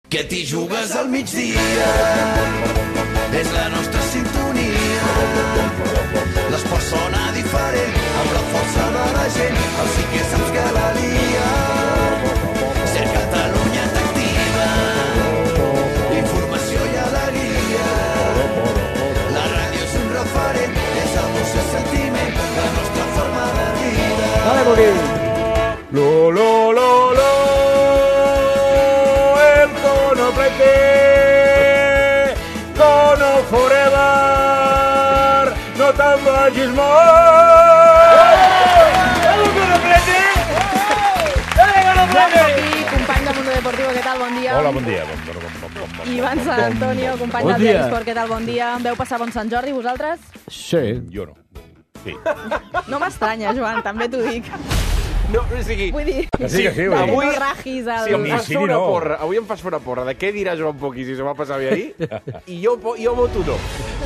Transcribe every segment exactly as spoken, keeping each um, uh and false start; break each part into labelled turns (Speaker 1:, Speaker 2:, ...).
Speaker 1: Que t'hi jugues al migdia, és la nostra sintonia. L'esport sona diferent, amb la força de la gent, el sí que saps que la lia. Ser Catalunya t'activa, informació i alegria. La ràdio és un referent, és emoció i sentiment, la nostra forma de vida.
Speaker 2: Dale, Boquín. Lo, lo, lo, lo. Cono forever, no te'n vagis molt. ¡Vamos, Conoplete! ¡Dale, Conoplete!
Speaker 3: Aquí, company de Mundo Deportivo, què tal? Bon dia.
Speaker 2: Hola, bon dia. Bon, bon, bon, bon, bon, bon.
Speaker 3: Ivan Sant Antonio, company
Speaker 2: Bon
Speaker 3: del
Speaker 2: dia.
Speaker 3: Diari Esport, què tal? Bon dia. Veu passar bon Sant Jordi, vosaltres?
Speaker 2: Sí. Jo no. Sí.
Speaker 3: No m'estranya, Joan, també t'ho dic.
Speaker 4: No, o sigui...
Speaker 3: Vull dir...
Speaker 2: Que sí, que sí. Vull dir.
Speaker 3: Avui... No ragis el...
Speaker 4: Si em
Speaker 2: Ni
Speaker 4: fas
Speaker 2: sí
Speaker 4: fer
Speaker 2: ni
Speaker 4: una
Speaker 2: no.
Speaker 4: porra, avui em fas fer una porra de què dirà Joan Poqui si se va passar bé ahir, i jo, jo voto no.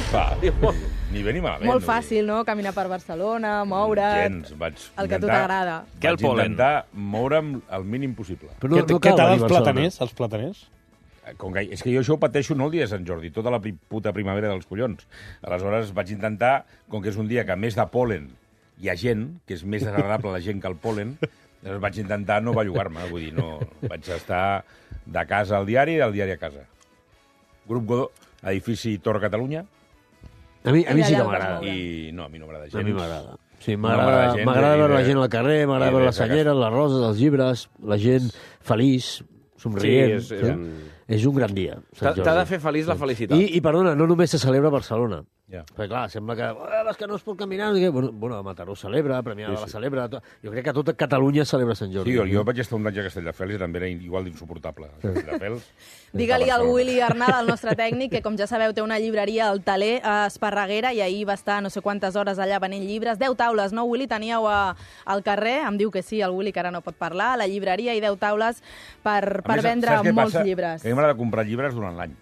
Speaker 2: Va,
Speaker 4: Jo-
Speaker 2: ni bé ni malament.
Speaker 3: Molt fàcil, no? Caminar per Barcelona, moure't...
Speaker 2: Gens, vaig
Speaker 3: El que a tu t'agrada.
Speaker 5: Què el
Speaker 2: Vaig
Speaker 5: polen?
Speaker 2: intentar moure'm el mínim possible.
Speaker 6: Però no,
Speaker 7: Què,
Speaker 6: no
Speaker 7: què
Speaker 6: cal
Speaker 7: tal
Speaker 6: venir
Speaker 7: els
Speaker 6: a Barcelona.
Speaker 7: plataners? Els plataners?
Speaker 2: Com que, és que jo això ho pateixo no el dia de Sant Jordi, tota la pri- puta primavera dels collons. Aleshores vaig intentar, com que és un dia que a més de pol·len hi ha gent, que és més desagradable la gent que el pol·len, doncs vaig intentar no bellugar-me, vull dir, no, vaig estar de casa al diari i del diari a casa. Grup Godó, edifici Torre Catalunya,
Speaker 6: A mi, a mi sí que
Speaker 3: Allà al
Speaker 6: m'agrada.
Speaker 3: Barcelona.
Speaker 2: i no, a mi no m'agrada gens.
Speaker 6: A mi m'agrada. Sí,
Speaker 2: No m'agrada
Speaker 6: m'agrada
Speaker 2: gens,
Speaker 6: m'agrada
Speaker 2: i
Speaker 6: veure la
Speaker 2: de-
Speaker 6: gent al carrer,
Speaker 2: i
Speaker 6: m'agrada
Speaker 2: de
Speaker 6: veure les
Speaker 2: sacar-
Speaker 6: senyeres, les roses, els llibres, la gent feliç, somrient.
Speaker 4: Sí, és- és un-
Speaker 6: és un gran dia. Sant
Speaker 4: T'ha t'ha de
Speaker 6: Jordi.
Speaker 4: fer feliç la felicitat.
Speaker 6: I, I, perdona, no només se celebra a Barcelona.
Speaker 2: Ja.
Speaker 6: Perquè, clar, sembla que, eh, és que no es pot caminar. No, bueno, bueno, a Mataró celebra, a Premià de
Speaker 2: Sí,
Speaker 6: la
Speaker 2: sí.
Speaker 6: celebra. To... Jo crec que tota Catalunya celebra Sant Jordi.
Speaker 2: Sí, jo, jo vaig estar un any a Castelldefels i també era igual d'insuportable. Castelldefels...
Speaker 3: Digue-li al
Speaker 2: Barcelona.
Speaker 3: Willy Arnal, el nostre tècnic, que com ja sabeu té una llibreria al Taler a Esparreguera i ahir va estar no sé quantes hores allà venent llibres. Deu taules, no, Willy? Teníeu a, al carrer, em diu que sí, el Willy, que ara no pot parlar, a la llibreria i deu taules per,
Speaker 2: A
Speaker 3: per
Speaker 2: més,
Speaker 3: vendre
Speaker 2: saps què
Speaker 3: molts
Speaker 2: passa?
Speaker 3: llibres.
Speaker 2: Que a mi m'agrada comprar llibres durant l'any,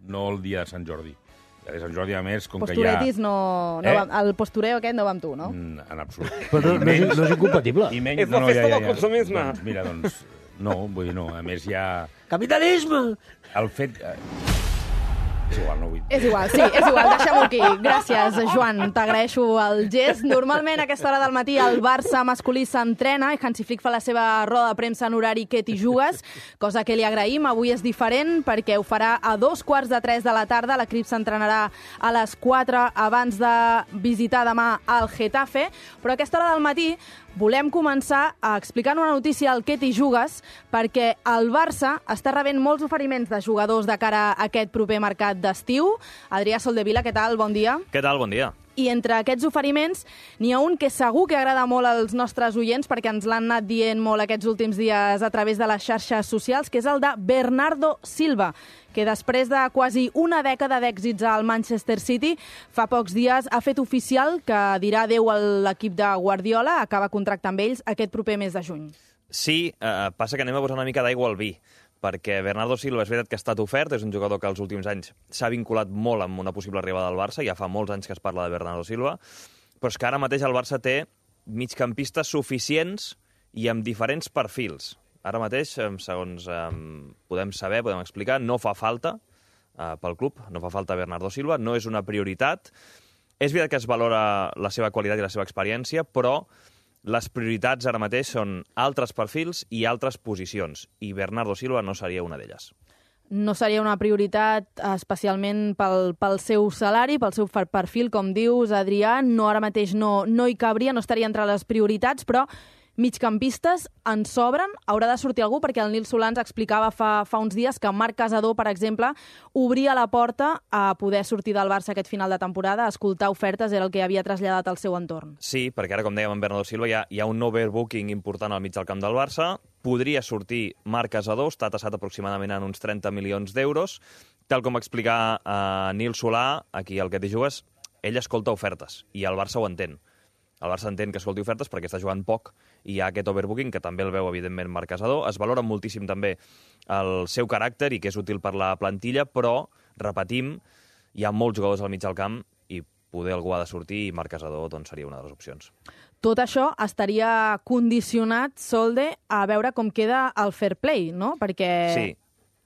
Speaker 2: no el dia de Sant Jordi. El dia de Sant Jordi, a més, com
Speaker 3: Posturetis
Speaker 2: que hi ha...
Speaker 3: no... no
Speaker 2: Eh?
Speaker 3: va, el postureo aquest no va amb tu, no?
Speaker 2: Mm, En absolut.
Speaker 6: Però no, no, és, no és incompatible.
Speaker 2: I menys,
Speaker 4: És la festa del consumisme.
Speaker 2: Doncs, mira, doncs, no, vull dir, no. A més, hi ha
Speaker 6: Capitalisme!
Speaker 2: el fet... eh, És igual, no vull dir.
Speaker 3: És igual, sí, és igual, deixem-ho aquí. Gràcies, Joan, t'agraeixo el gest. Normalment a aquesta hora del matí el Barça masculí s'entrena i Hansi Flick fa la seva roda de premsa en horari que t'hi jugues, cosa que li agraïm. Avui és diferent perquè ho farà a dos quarts de tres de la tarda. L'equip s'entrenarà a les quatre abans de visitar demà el Getafe, però a aquesta hora del matí volem començar a explicar una notícia al que t'hi jugues, perquè el Barça està rebent molts oferiments de jugadors de cara a aquest proper mercat d'estiu. Adrià Soldevila, què tal? Bon dia.
Speaker 5: Què tal? Bon dia.
Speaker 3: I entre aquests oferiments n'hi ha un que segur que agrada molt als nostres oients perquè ens l'han anat dient molt aquests últims dies a través de les xarxes socials, que és el de Bernardo Silva, que després de quasi una dècada d'èxits al Manchester City, fa pocs dies ha fet oficial que dirà adéu a l'equip de Guardiola, acaba contracte amb ells aquest proper mes de juny.
Speaker 5: Sí, eh, passa que anem a posar una mica d'aigua al vi, perquè Bernardo Silva és veritat que ha estat ofert, és un jugador que els últims anys s'ha vinculat molt amb una possible arribada al Barça, ja fa molts anys que es parla de Bernardo Silva, però és que ara mateix el Barça té migcampistes suficients i amb diferents perfils. Ara mateix, eh, segons eh, podem saber, podem explicar, no fa falta eh, pel club, no fa falta Bernardo Silva, no és una prioritat. És veritat que es valora la seva qualitat i la seva experiència, però les prioritats ara mateix són altres perfils i altres posicions, i Bernardo Silva no seria una d'elles.
Speaker 3: No seria una prioritat especialment pel, pel seu salari, pel seu perfil, com dius, Adrià. No, ara mateix no, no hi cabria, no estaria entre les prioritats, però migcampistes en sobren. Haurà de sortir algú, perquè el Nil Solans explicava fa, fa uns dies que Marc Casador, per exemple, obria la porta a poder sortir del Barça aquest final de temporada, a escoltar ofertes, era el que havia traslladat al seu entorn.
Speaker 5: Sí, perquè ara, com dèiem, amb Bernardo Silva hi ha, hi ha un overbooking important al mig del camp del Barça. Podria sortir Marc Casador, està tassat aproximadament en uns trenta milions d'euros. Tal com va explicar eh, Nil Solà, aquí al que t'hi jugues, ell escolta ofertes, i el Barça ho entén. El Barça entén que escolti ofertes perquè està jugant poc i hi ha aquest overbooking, que també el veu, evidentment, Marc Casador. Es valora moltíssim també el seu caràcter i que és útil per la plantilla, però, repetim, hi ha molts jugadors al mig del camp i poder algú ha de sortir i Marc Casador doncs, seria una de les opcions.
Speaker 3: Tot això estaria condicionat, Solde, a veure com queda el fair play, no? Perquè
Speaker 5: Sí.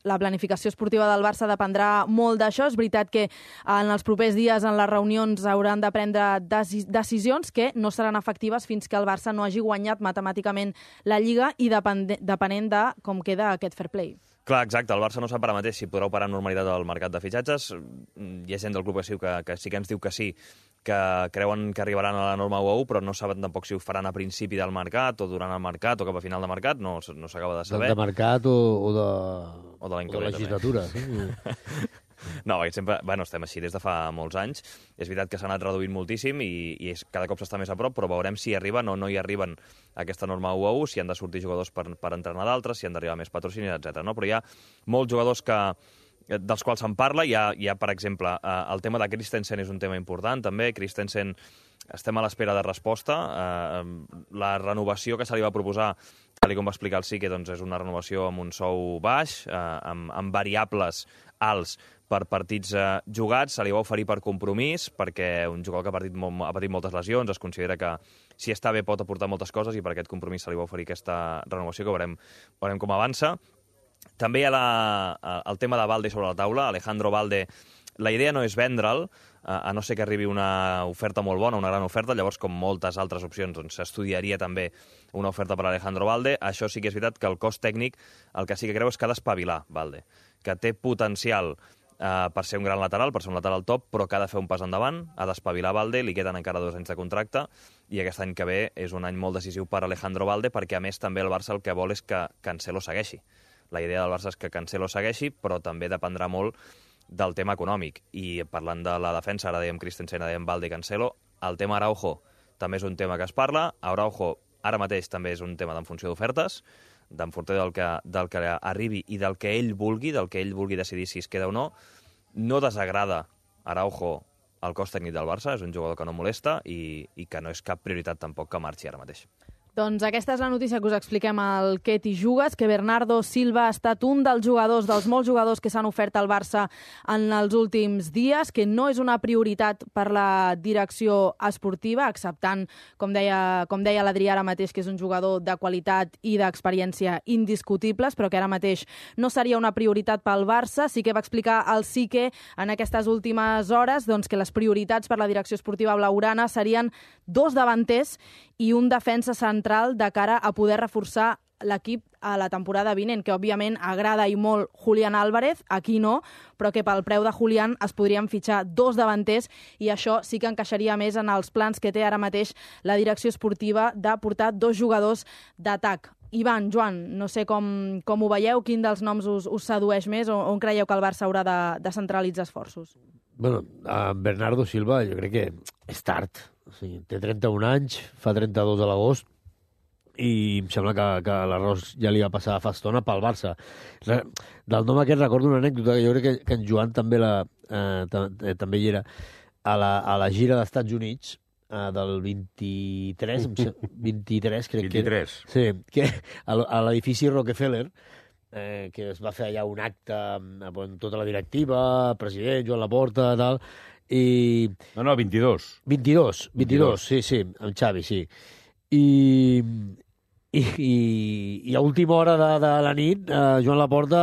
Speaker 3: la planificació esportiva del Barça dependrà molt d'això. És veritat que en els propers dies en les reunions hauran de prendre decisions que no seran efectives fins que el Barça no hagi guanyat matemàticament la Lliga i depenent de com queda aquest fair play.
Speaker 5: Clar, exacte. El Barça no sap ara mateix si podrà operar amb normalitat al mercat de fitxatges. Hi ha gent del club que sí que, que sí que ens diu que sí, que creuen que arribaran a la norma u a u, però no saben tampoc si ho faran a principi del mercat o durant el mercat o cap a final de mercat. No, no s'acaba de saber.
Speaker 6: De mercat o, o de,
Speaker 5: o de,
Speaker 6: o de legislatura. Sí?
Speaker 5: No, perquè sempre, bueno, estem així des de fa molts anys. És veritat que s'ha anat reduint moltíssim i, i és, cada cop s'està més a prop, però veurem si arriben o no hi arriben a aquesta norma u a u, si han de sortir jugadors per, per entrenar d'altres, si han d'arribar més patrocinis, etcètera. No? Però hi ha molts jugadors que, dels quals se'n parla. Hi ha, hi ha, per exemple, el tema de Christensen és un tema important, també. Christensen, estem a l'espera de resposta. La renovació que se li va proposar, tal com va explicar el Sique, doncs és una renovació amb un sou baix, amb, amb variables alts per partits eh, jugats, se li va oferir per compromís, perquè un jugador que ha patit, molt, ha patit moltes lesions, es considera que si està bé pot aportar moltes coses i per aquest compromís se li va oferir aquesta renovació, que veurem, veurem com avança. També hi ha la, el tema de Balde sobre la taula, Alejandro Balde. La idea no és vendre'l, a no ser que arribi una oferta molt bona, una gran oferta, llavors, com moltes altres opcions, doncs s'estudiaria també una oferta per a Alejandro Balde. Això sí que és veritat que el cos tècnic el que sí que creu és que ha d'espavilar Balde, que té potencial Uh, per ser un gran lateral, per ser un lateral top, però que ha de fer un pas endavant, ha d'espavilar Balde, li queden encara dos anys de contracte, i aquest any que ve és un any molt decisiu per Alejandro Balde, perquè a més també el Barça el que vol és que Cancelo segueixi. La idea del Barça és que Cancelo segueixi, però també dependrà molt del tema econòmic. I parlant de la defensa, ara dèiem Christensen, ara dèiem Balde i Cancelo, el tema Araujo també és un tema que es parla. Araujo ara mateix també és un tema d'en funció d'ofertes, d'en funció del que, del que arribi i del que ell vulgui, del que ell vulgui decidir si es queda o no. No desagrada Araujo al cos tècnic del Barça, és un jugador que no molesta i, i que no és cap prioritat tampoc que marxi ara mateix.
Speaker 3: Doncs aquesta és la notícia que us expliquem al Què t'hi jugues, que Bernardo Silva ha estat un dels jugadors, dels molts jugadors que s'han ofert al Barça en els últims dies, que no és una prioritat per la direcció esportiva, acceptant, com deia, com deia l'Adrià ara mateix, que és un jugador de qualitat i d'experiència indiscutibles, però que ara mateix no seria una prioritat pel Barça. Sí que va explicar el Sique en aquestes últimes hores doncs, que les prioritats per la direcció esportiva blaugrana serien dos davanters i un defensa central de cara a poder reforçar l'equip a la temporada vinent, que òbviament agrada i molt Julián Álvarez, aquí no, però que pel preu de Julián es podrien fitxar dos davanters i això sí que encaixaria més en els plans que té ara mateix la direcció esportiva de portar dos jugadors d'atac. Ivan, Joan, no sé com, com ho veieu, quin dels noms us, us sedueix més o on creieu que el Barça haurà de, de centralitzar esforços?
Speaker 6: Bueno, a Bernardo Silva jo crec que és tard. O sigui, té trenta-un anys, fa trenta-dos a l'agost, i em sembla que, que l'arròs ja li va passar fa estona pel Barça. Re, del nom aquest recordo una anècdota, que jo crec que, que en Joan també, la, eh, també hi era, a la, a la gira dels Estats Units, eh, del vint-i-tres, vint-i-tres crec
Speaker 2: vint-i-tres.
Speaker 6: que era. Sí, que a, a l'edifici Rockefeller, eh, que es va fer allà un acte amb, amb tota la directiva, president, Joan Laporta, tal, i...
Speaker 2: No, no, vint-i-dos.
Speaker 6: vint-i-dos, vint-i-dos, sí, sí, amb Xavi, sí. I, i, i, i a última hora de, de la nit, eh, Joan Laporta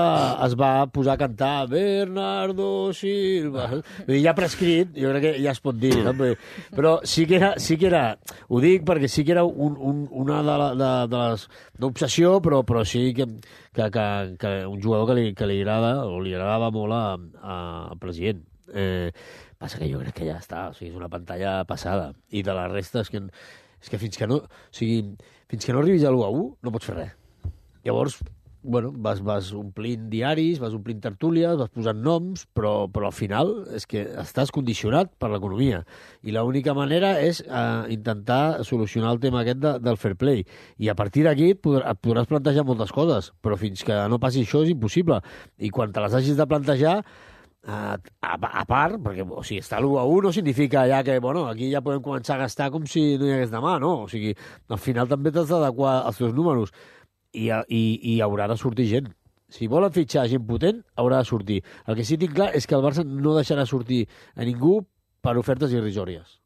Speaker 6: es va posar a cantar Bernardo Silva. Vull dir, ja prescrit, jo crec que ja es pot dir, no? Però sí que era, sí que era, ho dic perquè sí que era un, un, una de, la, de, de les... d'obsessió, però, però sí que, que, que, que un jugador que li, que li agrada, o li agradava molt a, a, al president. Eh, passa que jo crec que ja està, o sigui, és una pantalla passada. I de la resta és que, és que fins que no, o sigui, fins que no arribis a l'u a u no pots fer res. Llavors, bueno, vas, vas omplint diaris, vas omplint tertúlies, vas posant noms, però, però al final és que estàs condicionat per l'economia. I l'única manera és eh, intentar solucionar el tema aquest de, del fair play. I a partir d'aquí et, podrà, et podràs plantejar moltes coses, però fins que no passi això és impossible. I quan te les hagis de plantejar, A, a, a part, perquè o sigui, estar a l'u a u no significa ja que bueno, aquí ja podem començar a gastar com si no hi hagués demà, no? O sigui, al final també t'has d'adequar als teus números i, i, i haurà de sortir gent. Si volen fitxar gent potent, haurà de sortir. El que sí que tinc clar és que el Barça no deixarà sortir a ningú per ofertes irrisòries.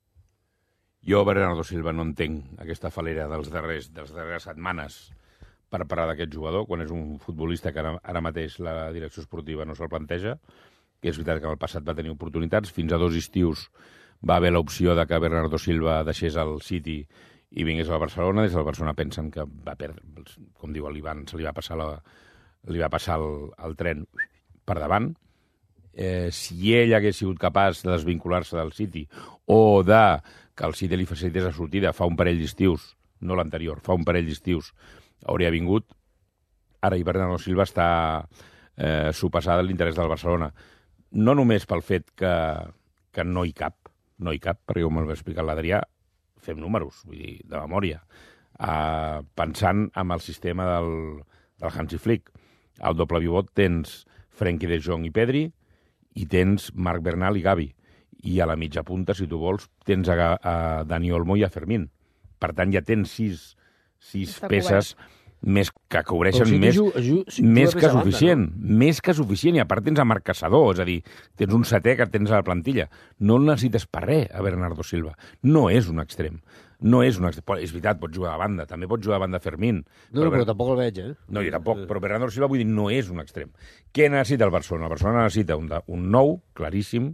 Speaker 2: Jo, Bernardo Silva, no entenc aquesta falera dels darrers, de les darreres setmanes, per parlar d'aquest jugador, quan és un futbolista que ara, ara mateix la direcció esportiva no se'l planteja, que és veritat que en el passat va tenir oportunitats, fins a dos estius va haver l'opció de que Bernardo Silva deixés el City i vingués al Barcelona. Des del Barcelona pensen que va perdre, com diu l'Ivan, se li va passar, la, li va passar el, el tren per davant. Eh, si ell hagués sigut capaç de desvincular-se del City o de que el City li facilités la sortida fa un parell d'estius, no l'anterior, fa un parell d'estius, hauria vingut. Ara i Bernardo Silva està eh, sopassada l'interès del Barcelona. No només pel fet que, que no hi cap, no hi cap, perquè com el va explicar l'Adrià, fem números, vull dir, de memòria, uh, pensant en el sistema del, del Hansi Flick. Al doble pivot tens Frenkie de Jong i Pedri, i tens Marc Bernal i Gavi. I a la mitja punta, si tu vols, tens a, a Dani Olmo i a Fermín. Per tant, ja tens sis, sis peces més que cobreixen
Speaker 6: si
Speaker 2: més,
Speaker 6: ju, ju, si
Speaker 2: més que
Speaker 6: banda,
Speaker 2: suficient.
Speaker 6: No?
Speaker 2: Més que suficient. I a part tens a Marc Caçador, és a dir, tens un setè que tens a la plantilla. No el necessites per res, a Bernardo Silva. No és un extrem. No és un extrem. És veritat, pot jugar a banda. També pot jugar a banda Fermín.
Speaker 6: No, però, però tampoc el veig, eh?
Speaker 2: No, jo tampoc. Però Bernardo Silva, vull dir, no és un extrem. Què necessita el Barcelona? El Barcelona necessita un, un nou, claríssim,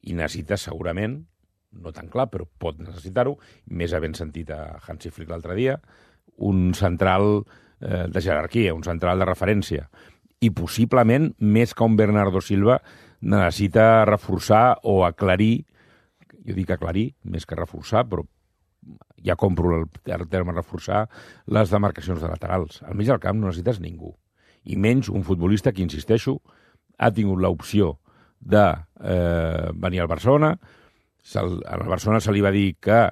Speaker 2: i necessita segurament, no tan clar, però pot necessitar-ho, més havent sentit a Hansi Flick l'altre dia, un central eh, de jerarquia, un central de referència. I possiblement, més que un Bernardo Silva, necessita reforçar o aclarir, jo dic aclarir, més que reforçar, però ja compro el, el terme reforçar, les demarcacions de laterals. Al mig del camp no necessites ningú. I menys un futbolista que, insisteixo, ha tingut l'opció de eh, venir al Barcelona. Se'l, al Barcelona se li va dir que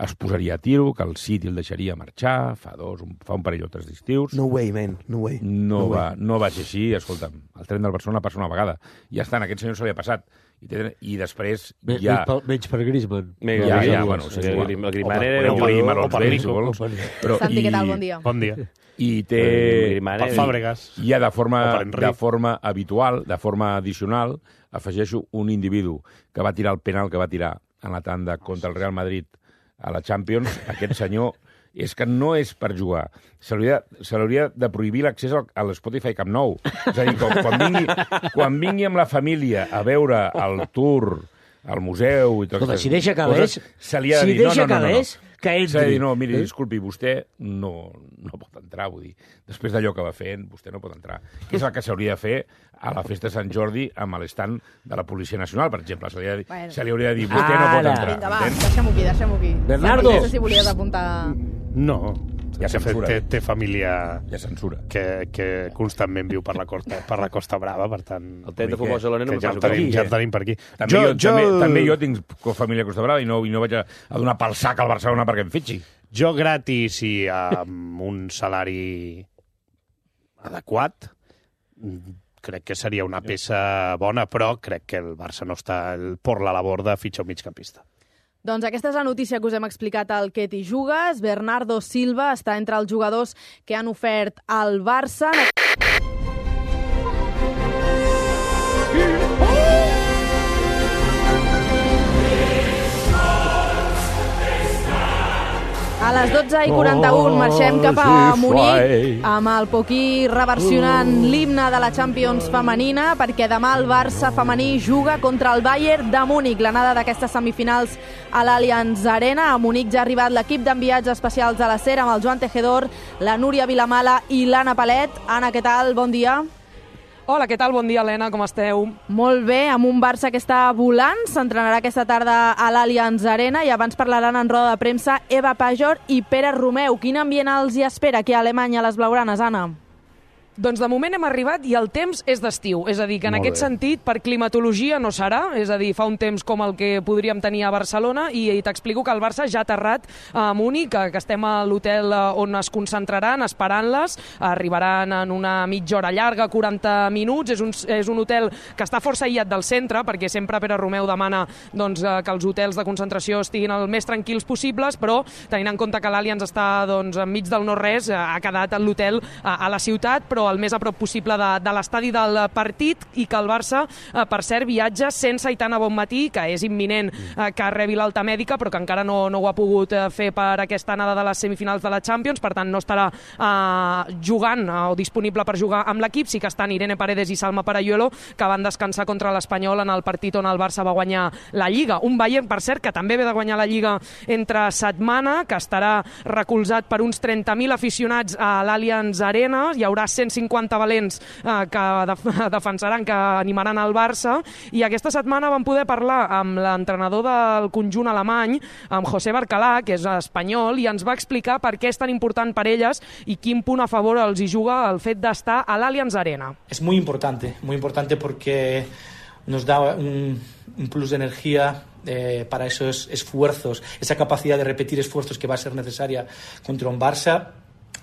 Speaker 2: es posaria a tiro, que el City el deixaria marxar, fa dos, un, fa un parell o tres d'estius.
Speaker 4: No way, man, no way.
Speaker 2: No,
Speaker 4: no,
Speaker 2: va,
Speaker 4: way.
Speaker 2: no va ser així, escolta'm, el tren del Barcelona passa una vegada. Ja està, en aquest senyor se li ha passat. I, té, i després
Speaker 6: Me,
Speaker 2: ja...
Speaker 6: Menys per, menys per Griezmann.
Speaker 4: Menys
Speaker 2: ja,
Speaker 4: per
Speaker 2: ja,
Speaker 4: Griezmann.
Speaker 2: bueno, sí,
Speaker 4: El,
Speaker 2: igual.
Speaker 4: el, el Griezmann
Speaker 2: O
Speaker 4: era...
Speaker 2: per-
Speaker 4: un-
Speaker 2: podeu dir
Speaker 4: o
Speaker 2: Marlon
Speaker 4: per
Speaker 2: Bell,
Speaker 4: Nico.
Speaker 2: si vols. Però,
Speaker 3: Santi,
Speaker 2: i,
Speaker 3: què tal? Bon dia.
Speaker 7: Bon dia.
Speaker 2: I té...
Speaker 4: Griezmann
Speaker 7: Per
Speaker 4: era-
Speaker 7: Fàbregas.
Speaker 2: Ja de forma,
Speaker 7: O per Enric.
Speaker 2: de forma habitual, de forma addicional, afegeixo un individu que va tirar el penal que va tirar en la tanda contra el Real Madrid a la Champions. Aquest senyor és que no és per jugar. Se li hauria de prohibir l'accés al, a l'Spotify Camp Nou. És a dir, quan, quan, vingui, quan vingui amb la família a veure el tour, al museu i tot
Speaker 6: Escolta, si deixa calés,
Speaker 2: se li ha de
Speaker 6: si
Speaker 2: dir, no,
Speaker 6: deixa
Speaker 2: no, no, no,
Speaker 6: calés,
Speaker 2: no.
Speaker 6: que entri.
Speaker 2: S'ha de dir, no, miri,
Speaker 6: Eh?
Speaker 2: disculpi, vostè no, no pot entrar, vull dir. Després d'allò que va fent, vostè no pot entrar. Que és el que s'hauria de fer a la festa de Sant Jordi amb l'estand de la Policia Nacional, per exemple. Se li, ha de,
Speaker 3: Bueno.
Speaker 2: se li hauria de dir, vostè no pot
Speaker 6: Ara.
Speaker 2: entrar.
Speaker 3: Vinga, va,
Speaker 2: entens?
Speaker 3: deixem-ho aquí, deixem-ho aquí.
Speaker 6: Bernardo.
Speaker 3: No sé si volies apuntar...
Speaker 7: No.
Speaker 2: Hi ha
Speaker 7: De fet,
Speaker 2: censura.
Speaker 7: té, té família
Speaker 2: Hi ha censura.
Speaker 7: que, que constantment viu per la Costa, per la Costa Brava, per tant...
Speaker 4: El tret de futbol Barcelona no
Speaker 7: que
Speaker 4: me
Speaker 7: ja,
Speaker 4: passa
Speaker 7: el tenim,
Speaker 2: aquí,
Speaker 7: ja
Speaker 2: eh?
Speaker 7: el tenim per aquí.
Speaker 2: També jo, jo, també, també jo tinc família a Costa Brava i no, i no vaig a, a donar pel sac al Barcelona perquè em fitxi.
Speaker 7: Jo gratis i amb un salari adequat crec que seria una peça bona, però crec que el Barça no està el, por la labor de fitxar un migcampista.
Speaker 3: Doncs aquesta és la notícia que us hem explicat al Què t'hi jugues. Bernardo Silva està entre els jugadors que han ofert al Barça. A les dotze i quaranta-u marxem cap a Munic amb el Poquí reversionant l'himne de la Champions femenina, perquè demà el Barça femení juga contra el Bayern de Múnich, l'anada d'aquestes semifinals a l'Allianz Arena. A Munic ja ha arribat l'equip d'enviats especials de la SER amb el Joan Tejedor, la Núria Vilamala i l'Anna Palet. Anna, què tal? Bon dia.
Speaker 8: Hola, què tal? Bon dia, Helena, com esteu?
Speaker 3: Molt bé, amb un Barça que està volant, s'entrenarà aquesta tarda a l'Allianz Arena i abans parlaran en roda de premsa Eva Pajor i Pere Romeu. Quin ambient els hi espera aquí a Alemanya a les blaugranes, Anna?
Speaker 8: Doncs de moment hem arribat i el temps és d'estiu, és a dir, que en
Speaker 2: Molt
Speaker 8: aquest
Speaker 2: bé.
Speaker 8: sentit per climatologia no serà, és a dir, fa un temps com el que podríem tenir a Barcelona i, i t'explico que el Barça ja ha aterrat a Múnich, que, que estem a l'hotel on es concentraran esperant-les, arribaran en una mitja hora llarga, quaranta minuts, és un, és un hotel que està força aïllat del centre, perquè sempre Pere Romeu demana doncs, que els hotels de concentració estiguin el més tranquils possibles, però tenint en compte que l'Allianz està doncs, enmig del no-res, ha quedat l'hotel a, a la ciutat, però però el més a prop possible de, de l'estadi del partit, i que el Barça, eh, per cert, viatja sense Aitana Bonmatí, que és imminent eh, que rebi l'alta mèdica, però que encara no, no ho ha pogut eh, fer per aquesta anada de les semifinals de la Champions, per tant no estarà eh, jugant eh, o disponible per jugar amb l'equip. Sí que estan Irene Paredes i Salma Parayuelo, que van descansar contra l'Espanyol en el partit on el Barça va guanyar la Lliga. Un Bayern, per cert, que també ve de guanyar la Lliga entre setmana, que estarà recolzat per uns trenta mil aficionats a l'Allianz Arena. Hi haurà cent cinquanta valents eh, que def defensaran, que animaran el Barça, i aquesta setmana vam poder parlar amb l'entrenador del conjunt alemany, amb José Barcalá, que és espanyol, i ens va explicar per què és tan important per elles i quin punt a favor els hi juga el fet d'estar a l'Allianz Arena.
Speaker 9: Es muy importante, muy importante porque nos da un, un plus de energía eh, para esos esfuerzos, esa capacidad de repetir esfuerzos que va a ser necesaria contra un Barça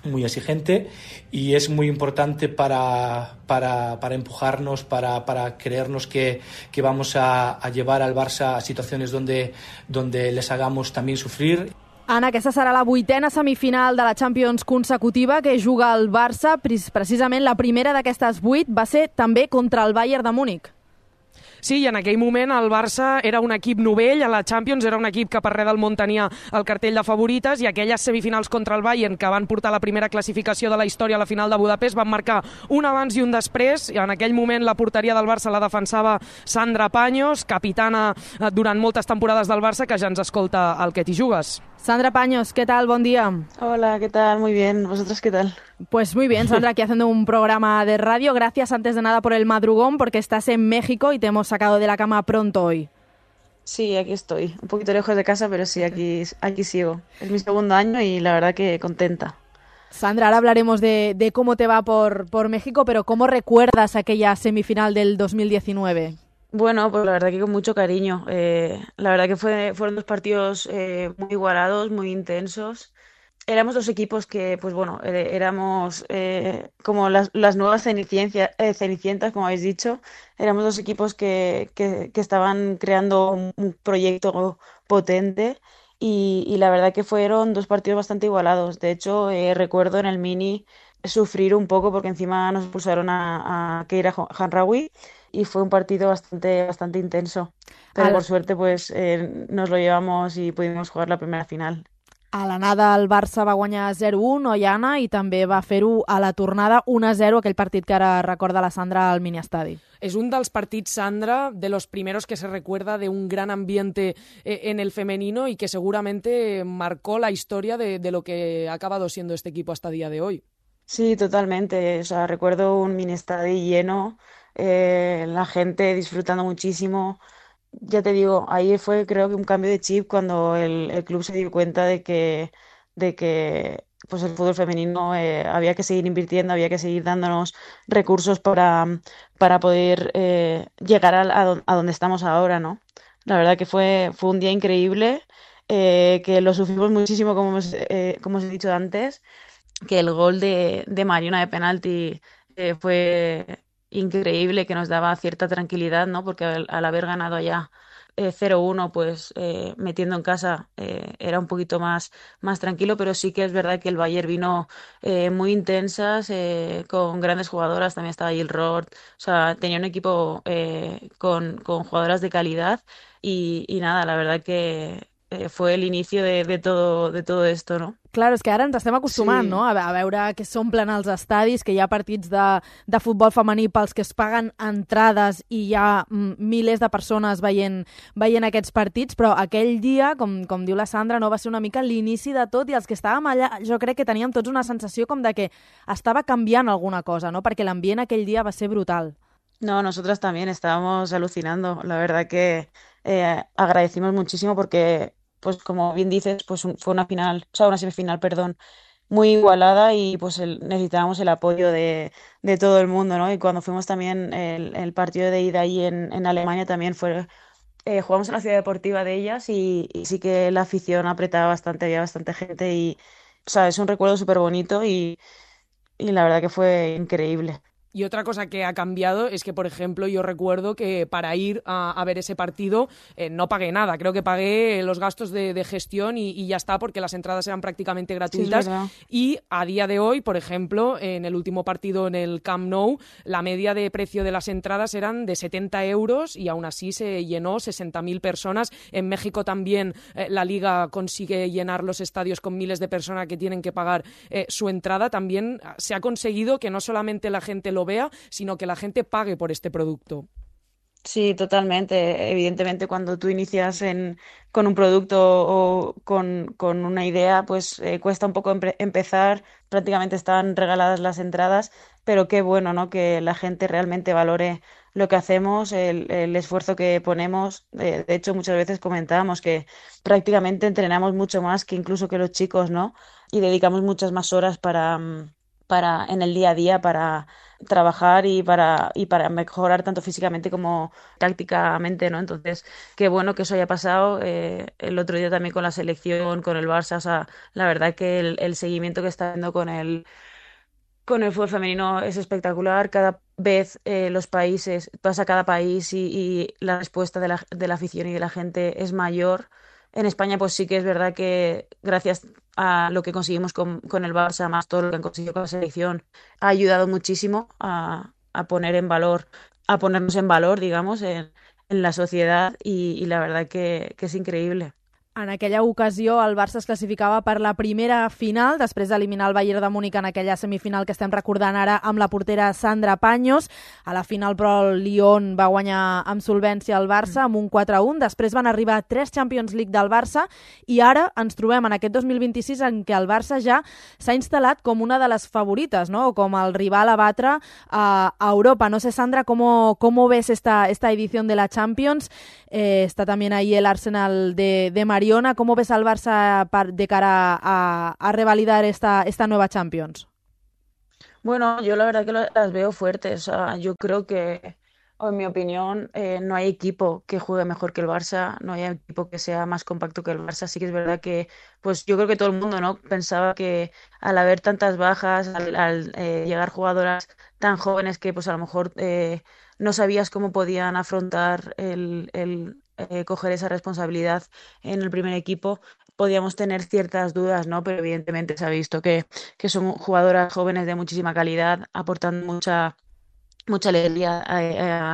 Speaker 9: muy exigente, y es muy importante para, para, para empujarnos, para, para creernos que, que vamos a, a llevar al Barça a situaciones donde, donde les hagamos también sufrir.
Speaker 3: Anna, aquesta serà la vuitena semifinal de la Champions consecutiva que juga el Barça. Precisament la primera d'aquestes vuit va ser també contra el Bayern de Múnich.
Speaker 8: Sí, i en aquell moment el Barça era un equip novell a la Champions, era un equip que per res del món tenia el cartell de favorites, i aquelles semifinals contra el Bayern, que van portar la primera classificació de la història a la final de Budapest, van marcar un abans i un després. I en aquell moment la porteria del Barça la defensava Sandra Paños, capitana durant moltes temporades del Barça, que ja ens escolta al Que t'hi jugues.
Speaker 3: Sandra Paños, ¿qué tal? Buen día.
Speaker 10: Hola, ¿qué tal? Muy bien. ¿Vosotros qué tal?
Speaker 3: Pues muy bien, Sandra, aquí haciendo un programa de radio. Gracias antes de nada por el madrugón, porque estás en México y te hemos sacado de la cama pronto hoy.
Speaker 10: Sí, aquí estoy. Un poquito lejos de casa, pero sí, aquí, aquí sigo. Es mi segundo año y la verdad que contenta.
Speaker 3: Sandra, ahora hablaremos de, de cómo te va por, por México, pero ¿cómo recuerdas aquella semifinal del dos mil diecinueve?
Speaker 10: Bueno, pues la verdad que con mucho cariño. Eh, la verdad que fue, fueron dos partidos eh, muy igualados, muy intensos. Éramos dos equipos que, pues bueno, eh, éramos eh, como las, las nuevas cenicientas, eh, cenicientas, como habéis dicho. Éramos dos equipos que, que, que estaban creando un, un proyecto potente, y, y la verdad que fueron dos partidos bastante igualados. De hecho, eh, recuerdo en el Mini sufrir un poco porque encima nos expulsaron a, a Keira Hanraoui, y fue un partido bastante, bastante intenso. Pero
Speaker 3: Al...
Speaker 10: por suerte pues eh, nos lo llevamos i pudimos jugar la primera final.
Speaker 3: A l'anada el Barça va guanyar zero a un, oi, Anna? I també va fer-ho a la tornada un a zero, aquell partit que ara recorda la Sandra al miniestadi.
Speaker 8: Es un dels partits, Sandra, de los primeros que se recuerda de un gran ambiente eh, en el femenino y que seguramente marcó la historia de, de lo que ha acabado siendo este equipo hasta día de hoy.
Speaker 10: Sí, totalmente. O sea, recuerdo un miniestadi lleno, eh, la gente disfrutando muchísimo. Ya te digo, ahí fue creo que un cambio de chip cuando el, el club se dio cuenta de que, de que pues el fútbol femenino eh, había que seguir invirtiendo, había que seguir dándonos recursos para, para poder eh, llegar a, a, a donde estamos ahora, ¿no? La verdad que fue, fue un día increíble, eh, que lo sufrimos muchísimo, como, hemos, eh, como os he dicho antes, que el gol de, de Mariona de penalti eh, fue increíble, que nos daba cierta tranquilidad, ¿no? Porque al, al haber ganado allá eh, cero uno, pues eh, metiendo en casa eh, era un poquito más, más tranquilo, pero sí que es verdad que el Bayern vino eh, muy intensas, eh, con grandes jugadoras, también estaba Jill Roth, o sea, tenía un equipo eh, con, con jugadoras de calidad, y, y nada, la verdad que eh, fue el inicio de, de, todo, de todo esto, ¿no?
Speaker 3: Clar, és que ara ens estem acostumant,
Speaker 10: Sí.
Speaker 3: no?, a, a veure que s'omplen els estadis, que hi ha partits de, de futbol femení pels que es paguen entrades i hi ha mm, milers de persones veient, veient aquests partits, però aquell dia, com, com diu la Sandra, no va ser una mica l'inici de tot, i els que estàvem allà jo crec que teníem tots una sensació com de que estava canviant alguna cosa, no?, perquè l'ambient aquell dia va ser brutal.
Speaker 10: No, nosotras también estábamos alucinando. La verdad que eh, agradecimos muchísimo porque, pues como bien dices, pues un- fue una final, o sea, una semifinal, perdón, muy igualada, y pues el- necesitábamos el apoyo de, de todo el mundo, ¿no? Y cuando fuimos también el, el partido de ida ahí en, en Alemania también fue, eh, jugamos en la ciudad deportiva de ellas, y, y sí que la afición apretaba bastante, había bastante gente, y, o sea, es un recuerdo súper bonito, y, y la verdad que fue increíble.
Speaker 8: Y otra cosa que ha cambiado es que, por ejemplo, yo recuerdo que para ir a, a ver ese partido eh, no pagué nada. Creo que pagué los gastos de, de gestión y, y ya está, porque las entradas eran prácticamente gratuitas.
Speaker 10: Sí, es verdad.
Speaker 8: Y a día de hoy, por ejemplo, en el último partido en el Camp Nou, la media de precio de las entradas eran de setenta euros y aún así se llenó sesenta mil personas. En México también eh, la Liga consigue llenar los estadios con miles de personas que tienen que pagar eh, su entrada. También se ha conseguido que no solamente la gente lo vea, sino que la gente pague por este producto.
Speaker 10: Sí, totalmente. Evidentemente, cuando tú inicias en, con un producto o con, con una idea, pues eh, cuesta un poco empe- empezar. Prácticamente están regaladas las entradas, pero qué bueno, ¿no? Que la gente realmente valore lo que hacemos, el, el esfuerzo que ponemos. Eh, de hecho, muchas veces comentábamos que prácticamente entrenamos mucho más que incluso que los chicos, ¿no? Y dedicamos muchas más horas para, mm, para en el día a día para trabajar y para, y para mejorar tanto físicamente como tácticamente, ¿no? Entonces, qué bueno que eso haya pasado. Eh, el otro día también con la selección, con el Barça, o sea, la verdad que el, el seguimiento que está haciendo con el, con el fútbol femenino es espectacular. Cada vez eh, los países, pasa cada país y, y la respuesta de la, de la afición y de la gente es mayor. En España, pues sí que es verdad que gracias a lo que conseguimos con, con el Barça, más todo lo que han conseguido con la selección, ha ayudado muchísimo a, a poner en valor, a ponernos en valor, digamos, en, en la sociedad y, y la verdad que, que es increíble.
Speaker 3: En aquella ocasió el Barça es classificava per la primera final, després d'eliminar el Bayern de Múnich en aquella semifinal que estem recordant ara amb la portera Sandra Paños. A la final, però, el Lyon va guanyar amb solvència el Barça amb un quatre a un. Després van arribar tres Champions League del Barça i ara ens trobem en aquest dos mil vint-i-sis en què el Barça ja s'ha instal·lat com una de les favorites, ¿no? O com el rival a batre a, a Europa. No sé, Sandra, ¿cómo, cómo ves esta, esta edición de la Champions? Eh, está también ahí el Arsenal de, de Mariona. ¿Cómo ves al Barça de cara a, a revalidar esta, esta nueva Champions?
Speaker 10: Bueno, yo la verdad que lo- las veo fuertes. O sea, yo creo que, o en mi opinión, eh, no hay equipo que juegue mejor que el Barça, no hay equipo que sea más compacto que el Barça. Sí que es verdad que, pues yo creo que todo el mundo, ¿no? Pensaba que al haber tantas bajas, al, al, eh, llegar jugadoras tan jóvenes que, pues a lo mejor eh, no sabías cómo podían afrontar el, el eh, coger esa responsabilidad en el primer equipo. Podíamos tener ciertas dudas, ¿no? Pero evidentemente se ha visto que, que son jugadoras jóvenes de muchísima calidad, aportando mucha mucha alegría a,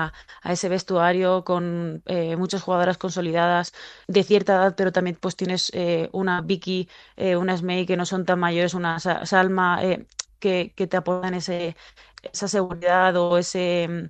Speaker 10: a- a ese vestuario con eh, muchas jugadoras consolidadas de cierta edad, pero también pues tienes eh, una Vicky, eh, una Smey que no son tan mayores, una Sa- Salma eh, que, que te aportan ese, esa seguridad o ese, mm,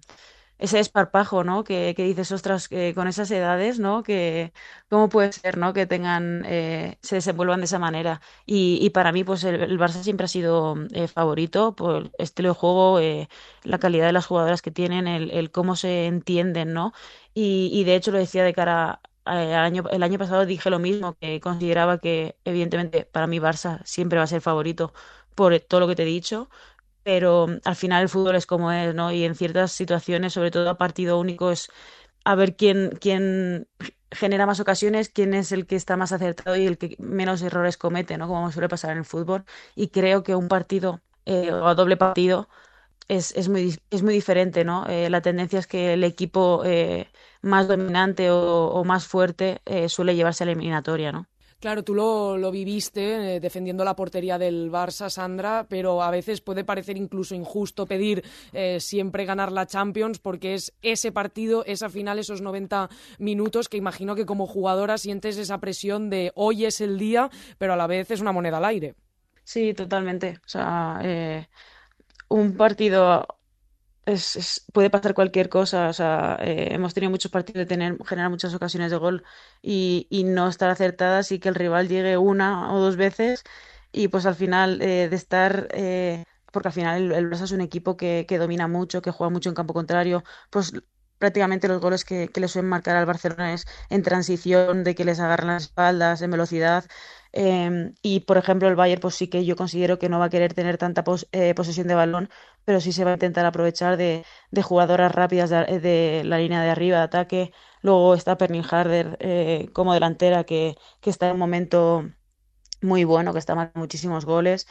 Speaker 10: ese desparpajo, ¿no? Que, que dices, ostras, que con esas edades, ¿no? Que cómo puede ser, ¿no? Que tengan, eh, se desenvuelvan de esa manera. Y, y para mí, pues el, el Barça siempre ha sido eh, favorito por el estilo de juego, eh, la calidad de las jugadoras que tienen, el, el cómo se entienden, ¿no? Y, y de hecho lo decía de cara a- al año, el año pasado dije lo mismo, que consideraba que evidentemente para mí Barça siempre va a ser favorito por todo lo que te he dicho, pero mm, al final el fútbol es como es, ¿no? Y en ciertas situaciones, sobre todo a partido único, es a ver quién, quién genera más ocasiones, quién es el que está más acertado y el que menos errores comete, ¿no? Como suele pasar en el fútbol. Y creo que un partido eh, o a doble partido es, es muy, dis- es muy diferente, ¿no? Eh, la tendencia es que el equipo eh, más dominante o, o más fuerte eh, suele llevarse a la eliminatoria, ¿no?
Speaker 8: Claro, tú lo, lo viviste eh, defendiendo la portería del Barça, Sandra, pero a veces puede parecer incluso injusto pedir eh, siempre ganar la Champions porque es ese partido, esa final, esos noventa minutos que imagino que como jugadora sientes esa presión de hoy es el día, pero a la vez es una moneda al aire.
Speaker 10: Sí, totalmente. O sea, eh, un partido es, es- puede pasar cualquier cosa. O sea, eh, hemos tenido muchos partidos de tener, generar muchas ocasiones de gol y, y no estar acertadas y que el rival llegue una o dos veces y pues al final eh, de estar, eh, porque al final el, el Barça es un equipo que, que domina mucho, que juega mucho en campo contrario, pues prácticamente los goles que, que le suelen marcar al Barcelona es en transición, de que les agarran las espaldas, en velocidad. Em, y por ejemplo el Bayern pues sí que yo considero que no va a querer tener tanta pos- eh, posesión de balón, pero sí se va a intentar aprovechar de, de jugadoras rápidas de, de la línea de arriba de ataque. Luego está Pernil Harder eh, como delantera que, que está en un momento muy bueno, que está marcando muchísimos goles.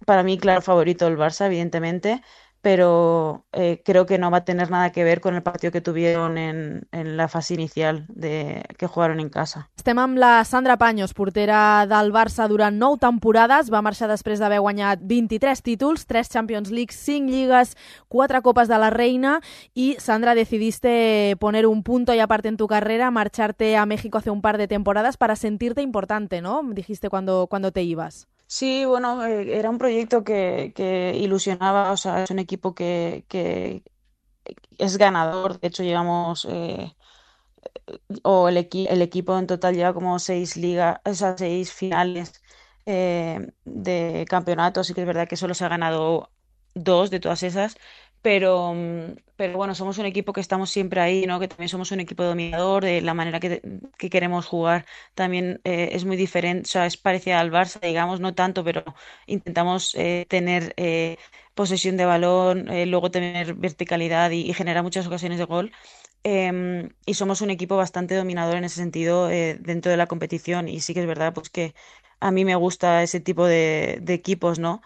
Speaker 10: Para mí, claro, favorito el Barça, evidentemente, pero eh, creo que no va a tener nada que ver con el partido que tuvieron en, en la fase inicial de, que jugaron en casa.
Speaker 3: Estem amb la Sandra Paños, portera del Barça durant nou temporades. Va marxar després d'haver guanyat vint-i-tres títols, tres Champions League, cinc lligues, quatre Copas de la Reina. Y, Sandra, decidiste poner un punto y aparte en tu carrera, marcharte a México hace un par de temporadas para sentirte importante, ¿no? Dijiste cuando, cuando te ibas.
Speaker 10: Sí, bueno, eh, era un proyecto que, que ilusionaba, o sea, es un equipo que, que es ganador. De hecho, llevamos, eh, o el, equi el equipo en total lleva como seis ligas, o sea, seis finales eh, de campeonato. Sí que es verdad que solo se ha ganado dos de todas esas, pero, pero bueno, somos un equipo que estamos siempre ahí, ¿no? Que también somos un equipo dominador, de la manera que, que queremos jugar también eh, es muy diferente, o sea, es parecida al Barça, digamos, no tanto, pero intentamos eh, tener eh, posesión de balón, eh, luego tener verticalidad y, y generar muchas ocasiones de gol. Eh, y somos un equipo bastante dominador en ese sentido eh, dentro de la competición, y sí que es verdad pues que a mí me gusta ese tipo de, de equipos, ¿no?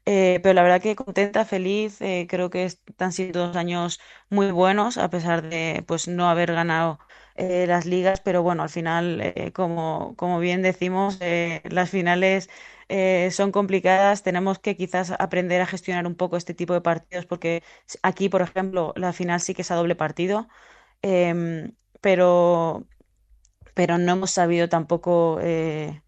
Speaker 10: Eh, pero la verdad que contenta, feliz, eh, creo que están siendo dos años muy buenos, a pesar de pues no haber ganado eh, las ligas, pero bueno, al final, eh, como, como bien decimos, eh, las finales eh, son complicadas, tenemos que quizás aprender a gestionar un poco este tipo de partidos, porque aquí, por ejemplo, la final sí que es a doble partido, eh, pero, pero no hemos sabido tampoco... Eh,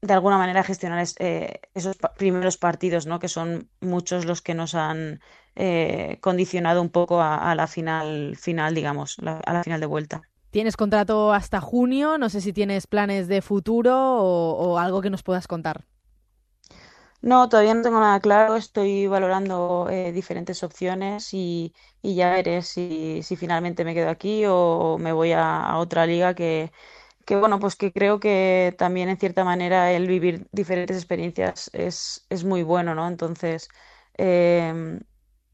Speaker 10: de alguna manera gestionar es, eh, esos pa primeros partidos, ¿no? Que son muchos los que nos han eh, condicionado un poco a, a la final, final digamos, la, a la final de vuelta.
Speaker 3: Tienes contrato hasta junio, no sé si tienes planes de futuro o, o algo que nos puedas contar.
Speaker 10: No, todavía no tengo nada claro, estoy valorando eh, diferentes opciones y, y ya veré si, si finalmente me quedo aquí o me voy a, a otra liga que... que bueno, pues que creo que también en cierta manera el vivir diferentes experiencias es, es muy bueno, ¿no? Entonces, eh,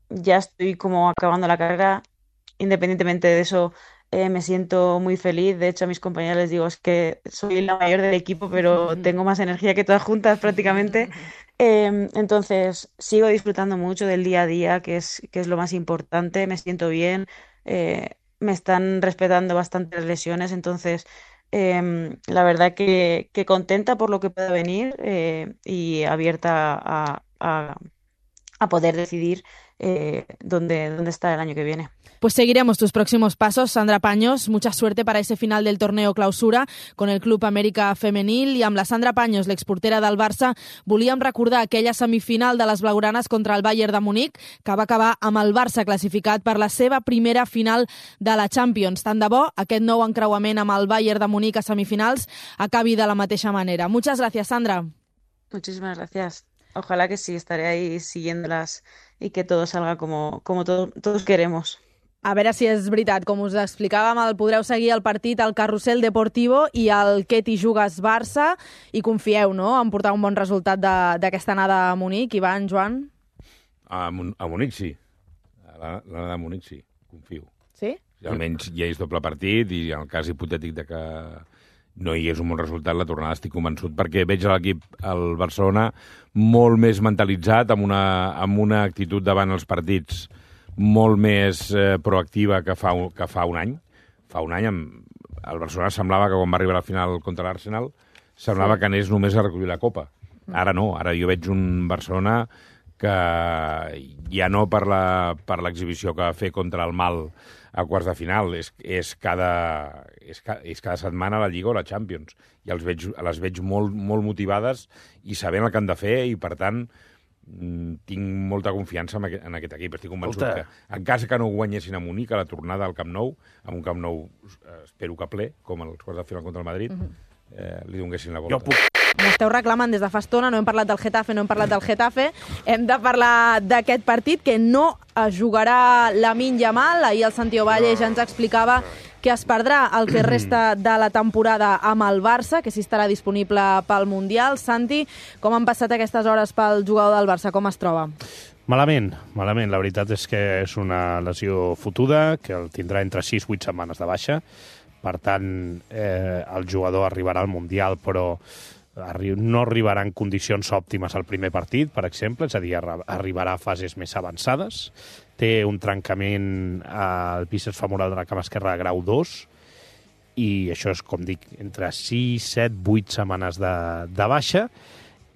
Speaker 10: ya estoy como acabando la carrera, independientemente de eso, eh, me siento muy feliz. De hecho, a mis compañeros les digo, es que soy la mayor del equipo, pero tengo más energía que todas juntas prácticamente. Eh, entonces, sigo disfrutando mucho del día a día, que es, que es lo más importante, me siento bien, eh, me están respetando bastante las lesiones, entonces... Eh, la verdad que, que contenta por lo que pueda venir eh, y abierta a, a, a poder decidir eh, dónde, dónde está el año que viene.
Speaker 3: Pues seguiremos tus próximos pasos, Sandra Paños. Mucha suerte para ese final del torneo clausura con el Club Amèrica Femenil. I amb la Sandra Paños, l'exportera del Barça, volíem recordar aquella semifinal de les blaugranes contra el Bayern de Munic, que va acabar amb el Barça classificat per la seva primera final de la Champions. Tant de bo aquest nou encreuament amb el Bayern de Munic a semifinals acabi de la mateixa manera. Muchas gracias, Sandra.
Speaker 10: Muchísimas gracias. Ojalá que sí, estaré ahí siguiéndolas y que todo salga como, como todo, todos queremos.
Speaker 3: A veure si és veritat. Com us explicàvem, el podreu seguir el partit al Carrusel Deportivo i al Que t'hi jugues Barça, i confieu, no?, en portar un bon resultat d'aquesta anada a Munic. Ivan, Joan?
Speaker 2: A, Mon a Munic sí. A l'anada a Munic sí, confio.
Speaker 3: Sí?
Speaker 2: Si almenys ja és doble partit i en el cas hipotètic de que no hi hagués un bon resultat, la tornada estic convençut, perquè veig l'equip, el Barcelona, molt més mentalitzat, amb una, amb una actitud davant els partits molt més eh, proactiva que fa, un, que fa un any. Fa un any amb, el Barcelona semblava que quan va arribar a la final contra l'Arsenal semblava sí. que anés només a recollir la Copa. Ara no, ara jo veig un Barcelona que ja no per l'exhibició que va fer contra el Mal a quarts de final, és, és, cada, és, és cada setmana la Lliga o la Champions. I els veig, les veig molt, molt motivades i sabent el que han de fer, i per tant tinc molta confiança en aquest, en aquest equip. Estic convençut Escolta. que, en cas que no guanyessin a Munic, a la tornada al Camp Nou, amb un Camp Nou eh, espero que ple, com els quarts de final contra el Madrid, uh-huh. eh, li donguessin la volta.
Speaker 7: Jo puc...
Speaker 3: M'esteu reclamant des de fa estona, no hem parlat del Getafe, no hem parlat del Getafe, hem de parlar d'aquest partit que no es jugarà Lamine Yamal. Ahir el Santi Ovalle ja ens explicava que es perdrà el que resta de la temporada amb el Barça, que sí estarà disponible pel Mundial. Santi, com han passat aquestes hores pel jugador del Barça? Com es troba?
Speaker 7: Malament, malament. La veritat és que és una lesió fotuda, que el tindrà entre sis i vuit setmanes de baixa. Per tant, eh, el jugador arribarà al Mundial, però arri no arribarà en condicions òptimes al primer partit, per exemple, és a dir, arribarà a fases més avançades. Té un trencament al bíceps femoral de la cama esquerra de grau dos, i això és, com dic, entre sis, set, vuit setmanes de, de baixa,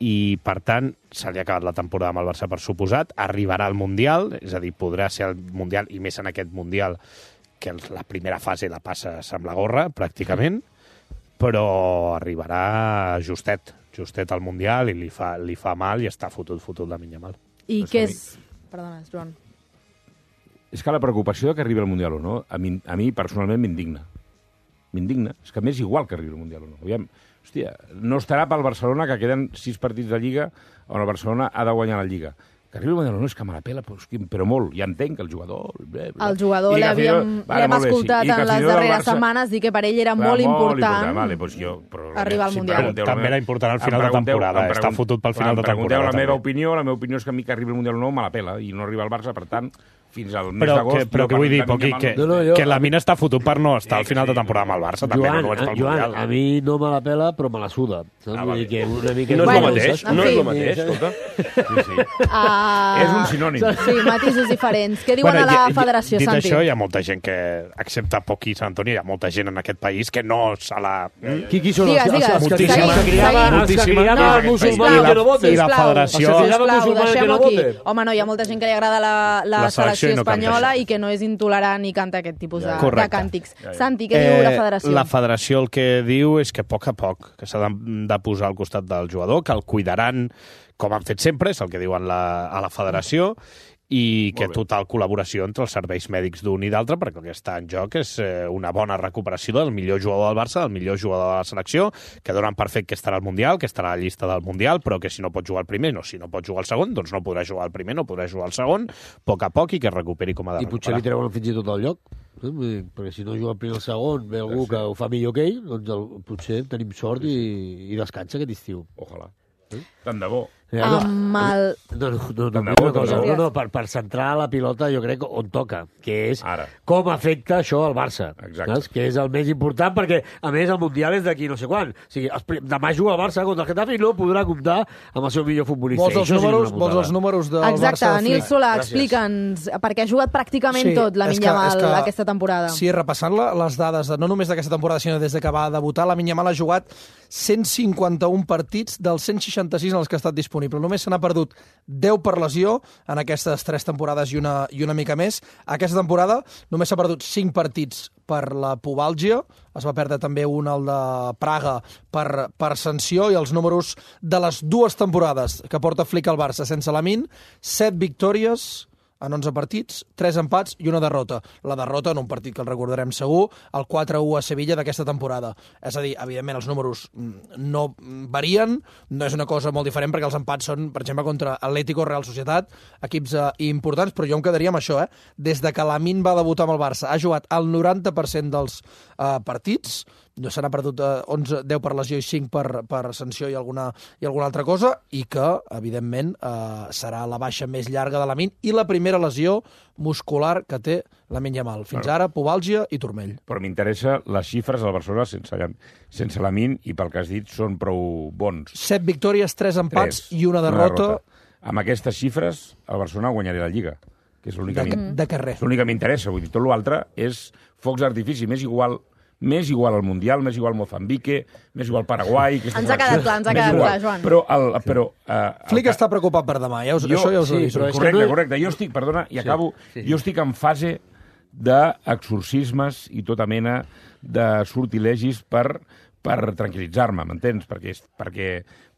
Speaker 7: i, per tant, se li ha acabat la temporada amb el Barça per suposat, arribarà al Mundial, és a dir, podrà ser el Mundial, i més en aquest Mundial, que la primera fase la passes amb la gorra, pràcticament, però arribarà justet, justet al Mundial, i li fa, li fa mal i està fotut, fotut la minya mal.
Speaker 3: I què és... Perdona, Joan.
Speaker 2: És que la preocupació de que arribi al Mundial o no, a mi, a mi personalment m'indigna. M'indigna. És que m'és igual que arribi al Mundial o no. Aviam, hòstia, no estarà pel Barcelona, que queden sis partits de Lliga, on el Barcelona ha de guanyar la Lliga. Que arribi al Mundial o no, és que me la pela, però molt. Ja entenc que el jugador... Bé, bé.
Speaker 3: El jugador l'hem vale, escoltat sí. en les darreres Barça... setmanes dir que per ell era
Speaker 2: Va,
Speaker 3: molt,
Speaker 2: molt
Speaker 3: important,
Speaker 2: important vale, doncs jo, però,
Speaker 3: arribar al Mundial.
Speaker 7: Però també era important al final de temporada. Està fotut pel final de temporada.
Speaker 2: La meva opinió, la meva opinió és que a mi que arribi al Mundial o no me la pela i no arriba al Barça, per tant, fins al mes d'agost...
Speaker 7: Però què vull dir, Poqui, que, no, no, jo... que la mina està fotut per no estar al final de temporada amb el Barça. També
Speaker 6: Joan,
Speaker 7: no vaig pel
Speaker 6: Joan,
Speaker 7: Mundial.
Speaker 6: a mi no me la pela, però me la suda.
Speaker 2: Ah, vale.
Speaker 6: que una mica...
Speaker 4: No és
Speaker 3: Bueno,
Speaker 4: el mateix, no és el mateix, escolta.
Speaker 2: Sí, sí.
Speaker 3: Uh...
Speaker 2: És un sinònim.
Speaker 3: Sí, matisos diferents. Què diuen
Speaker 7: Bueno,
Speaker 3: a la
Speaker 7: i- i-
Speaker 3: federació,
Speaker 7: dit
Speaker 3: Santi?
Speaker 7: això, hi ha molta gent que, excepte Poqui i Sant Antoni, hi ha molta gent en aquest país que no se la...
Speaker 6: Qui, qui són
Speaker 3: Digues,
Speaker 6: els,
Speaker 3: digues.
Speaker 6: els, els, que,
Speaker 7: Moltíssima.
Speaker 6: els que criaven, els que
Speaker 7: Moltíssima.
Speaker 6: criaven
Speaker 3: No,
Speaker 6: els musulmans
Speaker 3: sisplau,
Speaker 6: que no voten?
Speaker 7: I la
Speaker 3: sisplau,
Speaker 7: federació-
Speaker 6: Els que criaven
Speaker 3: Sisplau,
Speaker 6: musulmans que
Speaker 3: deixem-ho
Speaker 6: no
Speaker 3: aquí.
Speaker 6: voten?
Speaker 3: Home, no, hi ha molta gent que li agrada la, la,
Speaker 7: La selecció
Speaker 3: selecció
Speaker 7: i no canta
Speaker 3: espanyola
Speaker 7: això.
Speaker 3: i que no és intolerant i canta aquest tipus de, de
Speaker 7: Correcte.
Speaker 3: càntics. Santi, què diu la federació?
Speaker 7: La federació el que diu és que a poc a poc, que s'ha de, de posar al costat del jugador, que el cuidaran com han fet sempre, és el que diuen la, a la federació, i que total col·laboració entre els serveis mèdics d'un i d'altre, perquè el que està en joc és eh, una bona recuperació del millor jugador del Barça, del millor jugador de la selecció, que donen per fet que estarà al Mundial, que estarà a la llista del Mundial, però que si no pot jugar el primer, no, si no pot jugar el segon, doncs no podrà jugar el primer, no podrà jugar el segon, a poc a poc, i que es recuperi com ha de
Speaker 6: I potser li
Speaker 7: recuperar.
Speaker 6: treuen fins i tot el lloc. Eh? Vull dir, perquè si no juga el primer o el segon, ve algú que ho fa millor que ell, doncs el, potser tenim sort i, i descansa aquest estiu.
Speaker 2: Ojalà. Tant de bo.
Speaker 6: Eh, no,
Speaker 3: Amb el...
Speaker 6: No, no, no, no,
Speaker 2: Tant de
Speaker 6: no,
Speaker 2: bo,
Speaker 6: no,
Speaker 2: tant de
Speaker 6: no,
Speaker 2: bo.
Speaker 6: no, no, per, per centrar la pilota jo crec on toca, que és
Speaker 2: Ara.
Speaker 6: com afecta això al Barça.
Speaker 2: Exacte.
Speaker 6: Saps? Que és el més important, perquè, a més, el Mundial és d'aquí no sé quan. O sigui, els, pri- demà juga el Barça contra el Getafe i no podrà comptar amb el seu millor futbolista.
Speaker 11: Vols
Speaker 6: I
Speaker 11: els
Speaker 6: això sí que és
Speaker 11: números,
Speaker 6: una
Speaker 11: vols
Speaker 6: putada.
Speaker 11: els números del
Speaker 3: Exacte,
Speaker 11: Barça?
Speaker 3: Nil
Speaker 11: Flick?
Speaker 3: Solà,
Speaker 6: Gràcies.
Speaker 3: explica'ns, perquè ha jugat pràcticament
Speaker 11: Sí,
Speaker 3: tot la
Speaker 11: és que-
Speaker 3: Minya
Speaker 11: és
Speaker 3: Mal
Speaker 11: que-
Speaker 3: aquesta temporada.
Speaker 11: Sí, repassant la, les dades, de, no només d'aquesta temporada, sinó des de que va debutar, la Minya Mal ha jugat cent cinquanta-un partits dels cent seixanta-sis en els que ha estat disponible. Només se n'ha perdut deu per lesió en aquestes tres temporades i una, i una mica més. Aquesta temporada només s'ha perdut cinc partits per la pubàlgia, es va perdre també un, el de Praga, per, per sanció, i els números de les dues temporades que porta Flick al Barça sense Lamine, set victòries en onze partits, tres empats i una derrota. La derrota en un partit que el recordarem segur, el quatre a u a Sevilla d'aquesta temporada. És a dir, evidentment els números mm, no varien, no és una cosa molt diferent perquè els empats són, per exemple, contra Atlético, Real Societat, equips eh, importants, però jo em quedaria amb això, eh? Des de que Lamine va debutar amb el Barça, ha jugat el noranta per cent dels eh, partits, no se n'ha perdut eh, onze, deu per lesió i cinc per, per sanció i alguna, i alguna altra cosa, i que, evidentment, eh, serà la baixa més llarga de Lamine i la primera lesió muscular que té Lamine Yamal. Fins ara, pubàlgia i turmell.
Speaker 2: Però m'interessa les xifres del Barcelona sense, sense Lamine, i pel que has dit són prou bons.
Speaker 11: Set victòries, tres empats
Speaker 2: Tres.
Speaker 11: i una derrota.
Speaker 2: Una derrota. Amb aquestes xifres, el Barcelona guanyarà la Lliga, que és l'únic
Speaker 11: De,
Speaker 2: que,
Speaker 11: de carrer.
Speaker 2: és l'únic que m'interessa. Vull dir, tot l'altre és focs d'artifici. M'és igual M'és igual al Mundial, m'és igual Mozambique, m'és igual Paraguai...
Speaker 3: Ens ha quedat clar, ens ha quedat clar, Joan.
Speaker 2: Però, el, però uh,
Speaker 11: Flick està preocupat per demà, ja us,
Speaker 2: jo,
Speaker 11: això ja us
Speaker 2: sí,
Speaker 11: ho dic.
Speaker 2: però correcte, no... correcte. Jo estic, perdona, i
Speaker 6: Sí,
Speaker 2: acabo,
Speaker 6: sí.
Speaker 2: jo estic en fase d'exorcismes i tota mena de sortilegis per, per tranquil·litzar-me, m'entens? Perquè, perquè,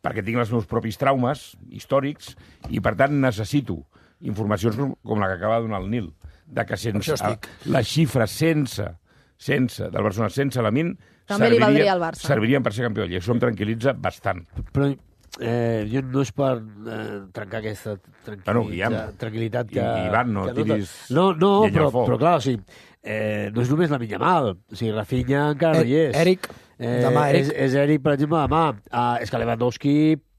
Speaker 2: perquè tinc els meus propis traumes històrics i, per tant, necessito informacions com, com la que acaba de donar el Nil, de que sense les xifres sense sense, del Barcelona sense Lamine
Speaker 3: també li valdria al Barça.
Speaker 2: Servirien per ser campió de Lliga. Això em tranquil·litza bastant.
Speaker 6: Però eh, jo no és per eh, trencar aquesta tranquil·litat,
Speaker 2: Bueno, Guillem,
Speaker 6: tranquil·litat que...
Speaker 2: I, Ivan, no
Speaker 6: que
Speaker 2: tiris
Speaker 6: No, no,
Speaker 2: llenya
Speaker 6: però,
Speaker 2: al foc.
Speaker 6: però clar, o sigui, eh, no és només la Minya Mal. O sigui, Rafinha encara no hi és.
Speaker 11: Eric,
Speaker 6: Eh,
Speaker 11: demà Eric.
Speaker 6: És, és Eric, per exemple, demà. Uh, és que Lewandowski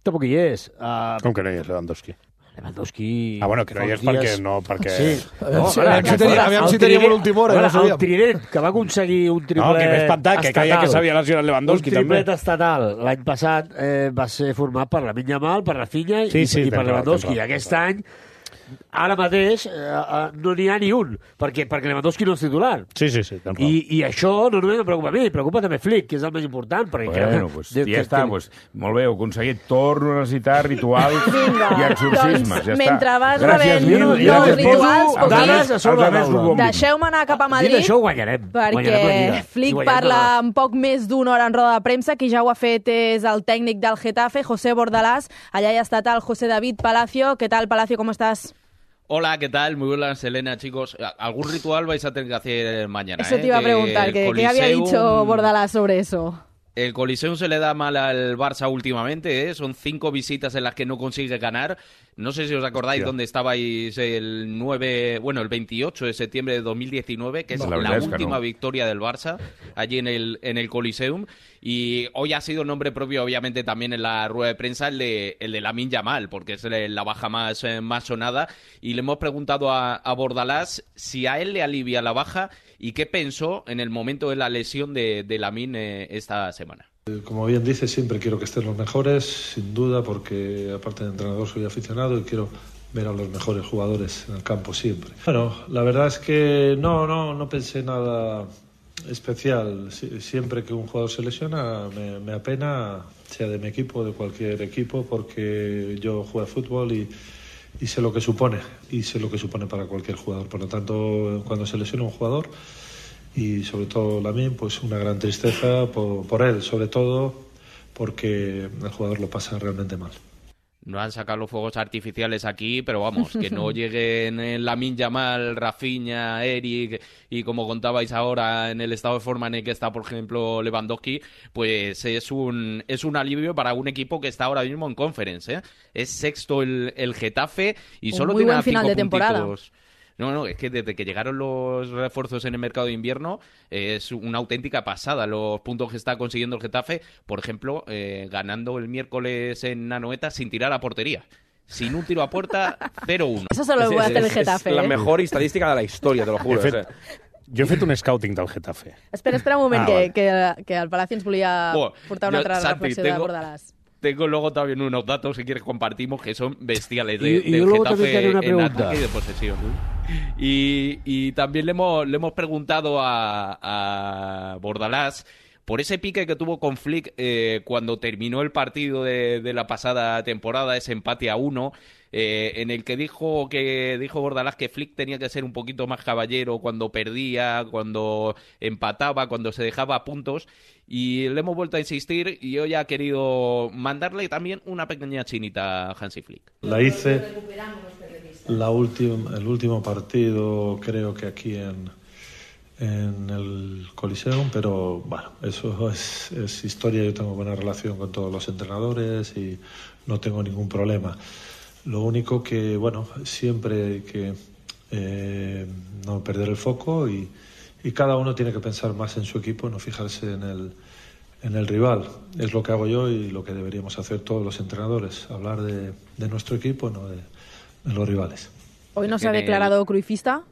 Speaker 6: tampoc hi és. Uh,
Speaker 7: Com que no hi és Lewandowski?
Speaker 6: Lewandowski...
Speaker 7: Ah, bueno, que no hi és
Speaker 6: fa uns
Speaker 7: perquè...
Speaker 6: dies-
Speaker 7: No, perquè...
Speaker 6: Sí.
Speaker 11: Aviam
Speaker 6: No,
Speaker 11: si-
Speaker 6: ara,
Speaker 11: aviam si teníem- aviam
Speaker 6: el
Speaker 11: si teníem
Speaker 6: Trident-
Speaker 11: l'última hora,
Speaker 6: a veure,
Speaker 11: no sabíem.
Speaker 6: El Trident, que va aconseguir un triple
Speaker 7: No, que m'he espantat, que creia que s'havia lesionat Lewandowski,
Speaker 6: un triplet
Speaker 7: també.
Speaker 6: estatal l'any passat eh, va ser format per Lamine Yamal, per Rafinha
Speaker 7: Sí,
Speaker 6: i,
Speaker 7: sí,
Speaker 6: i per
Speaker 7: tens raó,
Speaker 6: Lewandowski.
Speaker 7: tens
Speaker 6: I
Speaker 7: raó.
Speaker 6: aquest any, ara mateix, eh, eh, no n'hi ha ni un, perquè, perquè Lewandowski no és titular.
Speaker 7: Sí, sí, sí, tens raó.
Speaker 6: I, I això no només em preocupa a mi, preocupa també Flick, que és el més important. Perquè crec
Speaker 2: Bueno,
Speaker 6: que,
Speaker 2: pues,
Speaker 6: que-
Speaker 2: ja està,
Speaker 6: que-
Speaker 2: pues, molt bé, ho he aconseguit. Torno a necessitar rituals
Speaker 3: Vinga,
Speaker 2: i exorcismes.
Speaker 3: doncs,
Speaker 2: ja està.
Speaker 3: mentre vas
Speaker 2: Gràcies
Speaker 3: rebent
Speaker 2: mil,
Speaker 3: nous
Speaker 2: gràcies mil.
Speaker 3: rituals,
Speaker 2: Els
Speaker 6: dades
Speaker 2: altres-
Speaker 6: a sobre
Speaker 2: els
Speaker 6: la
Speaker 2: altres
Speaker 6: taula.
Speaker 2: ho bombin.
Speaker 3: Deixeu-me anar cap a
Speaker 6: Dit
Speaker 3: Madrid,
Speaker 6: això, ho guanyarem. Guanyarem la
Speaker 3: perquè
Speaker 6: Lliga.
Speaker 3: Flick
Speaker 6: I guanyarem
Speaker 3: parla
Speaker 6: la-
Speaker 3: en poc més d'una hora en roda de premsa. Qui ja ho ha fet és el tècnic del Getafe, José Bordalás. Allá ya está el José David Palacio. ¿Qué tal, Palacio? ¿Cómo estás?
Speaker 12: Hola, ¿qué tal? Muy buenas, Elena, chicos. Algún ritual vais a tener que hacer mañana.
Speaker 3: Eso
Speaker 12: ¿eh?
Speaker 3: te iba a
Speaker 12: Que
Speaker 3: preguntar,
Speaker 12: el
Speaker 3: ¿qué, ¿qué había
Speaker 12: Coliseum-
Speaker 3: dicho Bordalás sobre eso?
Speaker 12: El Coliseum se le da mal al Barça últimamente, ¿eh? Son cinco visitas en las que no consigue ganar. No sé si os acordáis
Speaker 7: Hostia.
Speaker 12: dónde estabais el nueve, bueno, el veintiocho de septiembre de dos mil diecinueve, que es
Speaker 2: No, la
Speaker 12: la,
Speaker 2: verdad es que
Speaker 12: última
Speaker 2: no.
Speaker 12: victoria del Barça allí en el, en el Coliseum. Y hoy ha sido nombre propio, obviamente, también en la rueda de prensa, el de, el de Lamine Yamal, porque es la baja más, eh, más sonada. Y le hemos preguntado a, a Bordalás si a él le alivia la baja y qué pensó en el momento de la lesión de, de Lamine eh, esta semana.
Speaker 13: Como bien dice, siempre quiero que estén los mejores, sin duda, porque aparte de entrenador soy aficionado y quiero ver a los mejores jugadores en el campo siempre. Bueno, la verdad es que no, no, no pensé nada especial. Sie- Siempre que un jugador se lesiona me, me apena, sea de mi equipo o de cualquier equipo, porque yo juego a fútbol y, y sé lo que supone, y sé lo que supone para cualquier jugador. Por lo tanto, cuando se lesiona un jugador, y sobre todo Lamine, pues una gran tristeza por, por él, sobre todo porque el jugador lo pasa realmente mal.
Speaker 12: No han sacado los fuegos artificiales aquí, pero vamos, que no lleguen en Lamine Yamal, Rafinha, Eric y como contabais ahora en el estado de forma en el que está, por ejemplo, Lewandowski, pues es un es un alivio para un equipo que está ahora mismo en Conference, ¿eh? Es sexto el, el Getafe y
Speaker 3: Un
Speaker 12: solo
Speaker 3: muy
Speaker 12: tiene
Speaker 3: buen
Speaker 12: a
Speaker 3: final
Speaker 12: cinco
Speaker 3: de temporada.
Speaker 12: puntitos. No, no, es que desde que llegaron los refuerzos en el mercado de invierno eh, es una auténtica pasada los puntos que está consiguiendo el Getafe. Por ejemplo, eh, ganando el miércoles en Anoeta sin tirar a portería. Sin un tiro a puerta, cero uno.
Speaker 3: Eso solo lo puede hacer el Getafe.
Speaker 4: És la
Speaker 3: ¿eh?
Speaker 4: mejor estadística de la història, te lo juro.
Speaker 7: He fet,
Speaker 4: o sea.
Speaker 7: jo he fet un scouting del Getafe.
Speaker 3: Espera, espera un moment,
Speaker 7: Ah,
Speaker 3: que,
Speaker 7: vale.
Speaker 3: que, que el Palacio ens volia
Speaker 12: Buah,
Speaker 3: portar una
Speaker 12: jo,
Speaker 3: altra
Speaker 12: Santi,
Speaker 3: reflexió de
Speaker 12: tengo-
Speaker 3: Bordalás.
Speaker 12: Tengo luego también unos datos, si quieres compartimos, que son bestiales de,
Speaker 6: Y- y
Speaker 12: del
Speaker 6: luego también
Speaker 12: Getafe
Speaker 6: te haré una
Speaker 12: en
Speaker 6: pregunta.
Speaker 12: ataque y de posesión. Y, y también le hemos, le hemos preguntado a, a Bordalás por ese pique que tuvo con Flick eh, cuando terminó el partido de, de la pasada temporada, ese empate a uno, eh, en el que dijo que dijo Bordalás que Flick tenía que ser un poquito más caballero cuando perdía, cuando empataba, cuando se dejaba puntos. Y le hemos vuelto a insistir y hoy ha querido mandarle también una pequeña chinita a Hansi Flick.
Speaker 13: La hice la última, el último partido, creo que aquí en, en el Coliseum, pero bueno, eso es, es historia. Yo tengo buena relación con todos los entrenadores y no tengo ningún problema. Lo único que, bueno, siempre hay que eh, no perder el foco y, y cada uno tiene que pensar más en su equipo, no fijarse en el, en el rival. Es lo que hago yo y lo que deberíamos hacer todos los entrenadores, hablar de, de nuestro equipo, no de, de los rivales.
Speaker 3: Hoy no se ha
Speaker 12: En el-
Speaker 3: declarado cruifista.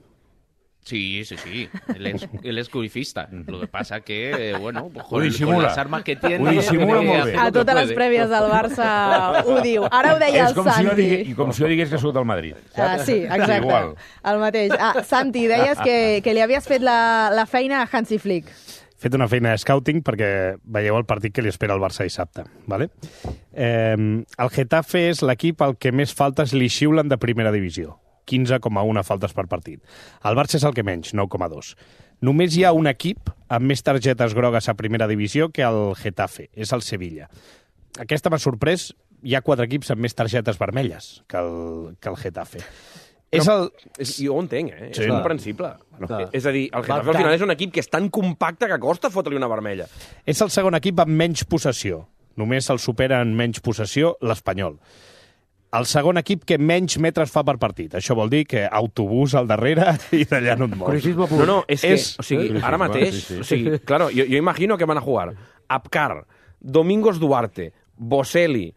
Speaker 12: Sí, sí, sí. Él es, él es cruifista. Lo que pasa que, eh, bueno, pues
Speaker 2: Ho
Speaker 12: con,
Speaker 2: dissimula.
Speaker 12: con las armas que tiene...
Speaker 2: Ho dissimula
Speaker 12: tiene que
Speaker 2: molt
Speaker 12: hacer
Speaker 2: bé.
Speaker 12: lo
Speaker 3: A
Speaker 12: que
Speaker 3: totes les
Speaker 12: puede.
Speaker 3: prèvies del Barça ho diu. Ara ho deia
Speaker 2: És
Speaker 3: el
Speaker 2: com si, jo
Speaker 3: Santi.
Speaker 2: digués, i com si jo digués que sóc del Madrid.
Speaker 3: Ah, sí, exacte.
Speaker 2: Igual.
Speaker 3: El mateix. Ah, Santi, deies que, que li havies fet la, la feina a Hansi Flick.
Speaker 7: He fet una feina de scouting perquè veieu el partit que li espera al Barça dissabte. Vale? Eh, el Getafe és l'equip al que més faltes li xiulen de primera divisió. quinze coma u faltes per partit. El Barça és el que menys, nou coma dos. Només hi ha un equip amb més targetes grogues a primera divisió que el Getafe, és el Sevilla. Aquesta m'ha sorprès, hi ha quatre equips amb més targetes vermelles que el, que el Getafe. És el...
Speaker 4: És, jo ho entenc, eh?
Speaker 7: Sí,
Speaker 4: és
Speaker 7: no.
Speaker 4: comprensible.
Speaker 7: Clar.
Speaker 4: És a dir, el Getafe
Speaker 6: Va,
Speaker 4: al final
Speaker 6: tant.
Speaker 4: és un equip que és tan compacte que costa fotre-li una vermella.
Speaker 7: És el segon equip amb menys possessió. Només el supera en menys possessió l'Espanyol. El segon equip que menys metres fa per partit. Això vol dir que autobús al darrere i d'allà no et mous.
Speaker 6: Cruifisme pur.
Speaker 4: No, no, és,
Speaker 7: És-
Speaker 4: que, o sigui,
Speaker 2: Sí,
Speaker 4: ara
Speaker 2: sí,
Speaker 4: mateix,
Speaker 2: sí, sí.
Speaker 4: o sigui, claro, jo, jo imagino que van a jugar Apcar, Domingos Duarte, Boselli,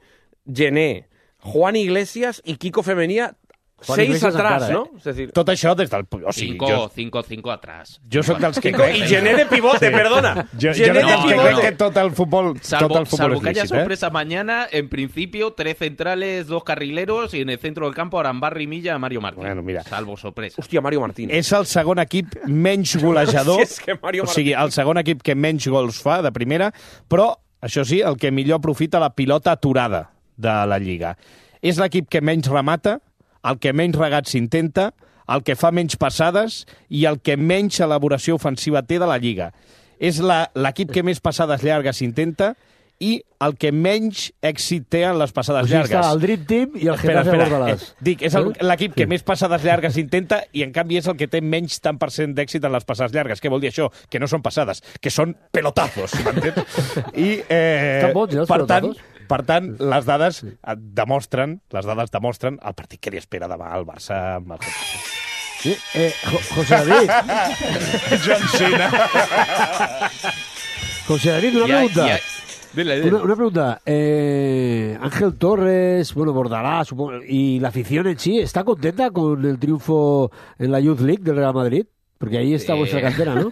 Speaker 4: Gené, Juan Iglesias y Kiko Femenía,
Speaker 6: Juan
Speaker 4: seis
Speaker 6: Iglesias
Speaker 4: atrás,
Speaker 6: encara, eh?
Speaker 4: ¿no? Es decir,
Speaker 7: Tot això des del... O sigui,
Speaker 12: Cinco,
Speaker 7: jo,
Speaker 12: cinco, cinco atrás.
Speaker 7: jo soc dels que
Speaker 4: Kiko
Speaker 7: crec...
Speaker 4: y Gené de pivote,
Speaker 7: Sí.
Speaker 4: perdona.
Speaker 7: Jo, jo
Speaker 4: Gené
Speaker 7: no,
Speaker 4: de
Speaker 7: que crec
Speaker 4: pivote.
Speaker 7: que tot el futbol,
Speaker 12: Salvo,
Speaker 7: tot el futbol
Speaker 12: salvo
Speaker 7: és
Speaker 12: que haya
Speaker 7: lícit, eh?
Speaker 12: sorpresa mañana, en principio, tres centrales, dos carrileros y en el centro del campo Arambarri, Milla, Mario Martín.
Speaker 7: Bueno, mira.
Speaker 12: Salvo sorpresa.
Speaker 4: Hòstia, Mario Martín.
Speaker 7: És el segon equip menys golejador,
Speaker 4: Si és que Mario
Speaker 7: o sigui, el segon equip que menys gols fa de primera, però, això sí, el que millor aprofita la pilota aturada de la Lliga. És l'equip que menys remata, el que menys regats s'intenta, el que fa menys passades i el que menys elaboració ofensiva té de la Lliga. És la- l'equip que més passades llargues s'intenta i el que menys èxit té en les passades
Speaker 6: O sigui,
Speaker 7: llargues.
Speaker 6: està el Dream Team i el
Speaker 7: Espera,
Speaker 6: Getafe
Speaker 7: espera.
Speaker 6: Bordalàs.
Speaker 7: Eh, Dic, és el- l'equip que més passades llargues intenta i, en canvi, és el que té menys tant per cent d'èxit en les passades llargues. Què vol dir això? Que no són passades, que són pelotazos, m'entens? I, eh,
Speaker 6: Estan bons, eh, els
Speaker 7: per tant,
Speaker 6: pelotazos?
Speaker 7: per tant, les dades eh, demostren, les dades demostren el partit que li espera demà al Barça amb el Getafe.
Speaker 6: Sí, eh, Jo- José David.
Speaker 7: John Cena.
Speaker 6: José David, una
Speaker 12: Ya-
Speaker 6: pregunta.
Speaker 12: ya- Dile, dile.
Speaker 6: Una, una pregunta. Eh, Ángel Torres, bueno, Bordalás, supongo, y la afición en sí, ¿está contenta con el triunfo en la Youth League del Real Madrid? Porque ahí está
Speaker 12: Eh.
Speaker 6: vuestra cantera, ¿no?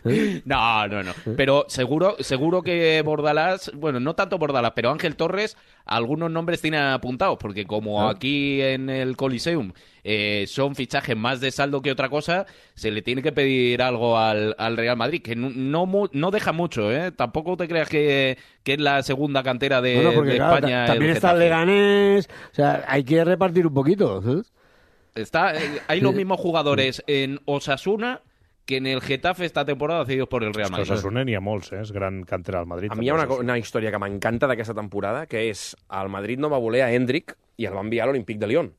Speaker 6: ¿Eh?
Speaker 12: No, no, no. Pero seguro, seguro que Bordalás, bueno, no tanto Bordalás, pero Ángel Torres, algunos nombres tiene apuntados, porque como
Speaker 6: Ah.
Speaker 12: aquí en el Coliseum eh, son fichajes más de saldo que otra cosa, se le tiene que pedir algo al, al Real Madrid, que no, no, mu- no deja mucho, ¿eh? Tampoco te creas que, que es la segunda cantera de,
Speaker 6: Bueno, porque
Speaker 12: de
Speaker 6: claro,
Speaker 12: España.
Speaker 6: ta- también
Speaker 12: el
Speaker 6: está el
Speaker 12: Getafe.
Speaker 6: Leganés, o sea, hay que repartir un poquito, ¿sabes?
Speaker 12: Está, eh, hay los mismos jugadores en Osasuna que en el Getafe esta temporada cedidos por el Real
Speaker 7: Els
Speaker 12: Madrid.
Speaker 7: que Osasuna n'hi ha molts, eh? És gran cantera al Madrid.
Speaker 4: A mi hi ha una,
Speaker 7: també,
Speaker 4: co- una història que m'encanta d'aquesta temporada, que és el Madrid no va voler a Hendrik i el va enviar a l'Olímpic de Lyon.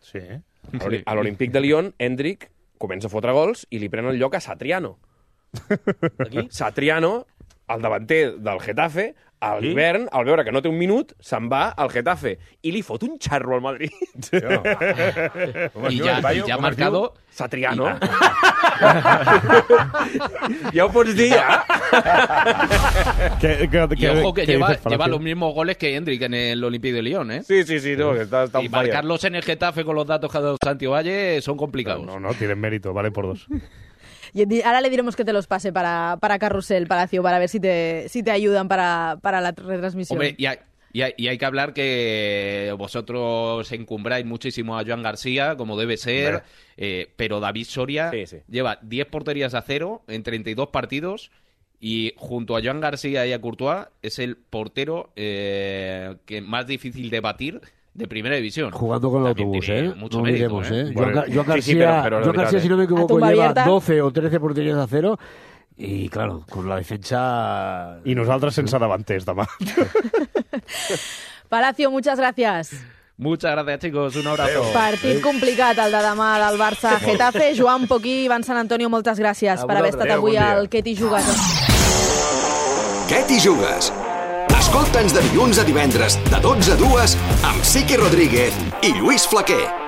Speaker 7: Sí.
Speaker 4: A l'Oli- A l'Olímpic de Lyon, Hendrik comença a fotre gols i li pren el lloc a Satriano. Satriano, el davanter del Getafe, a l'hivern, al veure que no té un minut, se'n va al Getafe i li fot un xarro al Madrid.
Speaker 12: Y ya, y ya ha marcado...
Speaker 4: Satriano. Ja ho pots dir, ja?
Speaker 7: Que, que,
Speaker 12: Y ojo que,
Speaker 7: que
Speaker 12: lleva,
Speaker 7: dices,
Speaker 12: lleva
Speaker 7: Palacio.
Speaker 12: los mismos goles que Hendrik en el Olympique de Lyon, ¿eh?
Speaker 4: Sí, sí, sí, no, que està, està
Speaker 12: Y
Speaker 4: on fire.
Speaker 12: marcarlos en el Getafe con los datos que ha dado Santi Valle son complicados.
Speaker 7: No, no, tienen mérito, vale por dos.
Speaker 3: Y di- ahora le diremos que te los pase para, para Carrusel, Palacio, para ver si te, si te ayudan para, para la retransmisión.
Speaker 12: Hombre, y hay, y, hay, y hay que hablar que vosotros encumbráis muchísimo a Joan García, como debe ser, eh, pero David Soria
Speaker 4: Sí, sí.
Speaker 12: lleva diez porterías a cero en treinta y dos partidos y junto a Joan García y a Courtois es el portero eh, que más difícil de batir de primera división.
Speaker 6: Jugando con el
Speaker 12: También
Speaker 6: autobús,
Speaker 12: tiene
Speaker 6: ¿eh?
Speaker 12: mucho
Speaker 6: No
Speaker 12: mérito,
Speaker 6: olvidemos,
Speaker 12: ¿eh?
Speaker 6: ¿eh?
Speaker 7: Bueno,
Speaker 6: Joan, Gar- Joan
Speaker 4: sí,
Speaker 6: García,
Speaker 4: sí, pero- pero
Speaker 6: Joan
Speaker 4: de
Speaker 6: García,
Speaker 4: verdad,
Speaker 6: si no me
Speaker 3: A
Speaker 6: equivoco,
Speaker 3: tumba
Speaker 6: lleva
Speaker 3: abierta.
Speaker 6: doce o trece porterías a cero. Y claro, con la defensa...
Speaker 7: I nosaltres sense davanters demà.
Speaker 3: Palacio, muchas gracias.
Speaker 12: Muchas gracias, chicos. Un abrazo.
Speaker 3: Partit complicat, el de demà del Barça-Getafe. Joan Poquí, Ivan San Antonio, moltes gràcies
Speaker 11: A
Speaker 3: per haver estat
Speaker 11: vosaltres,
Speaker 3: avui
Speaker 11: bon dia.
Speaker 3: al Què t'hi jugues.
Speaker 14: Què t'hi jugues? Escolta'ns de dilluns a divendres, de dotze a dues, amb Siqui Rodríguez i Lluís Flaquer.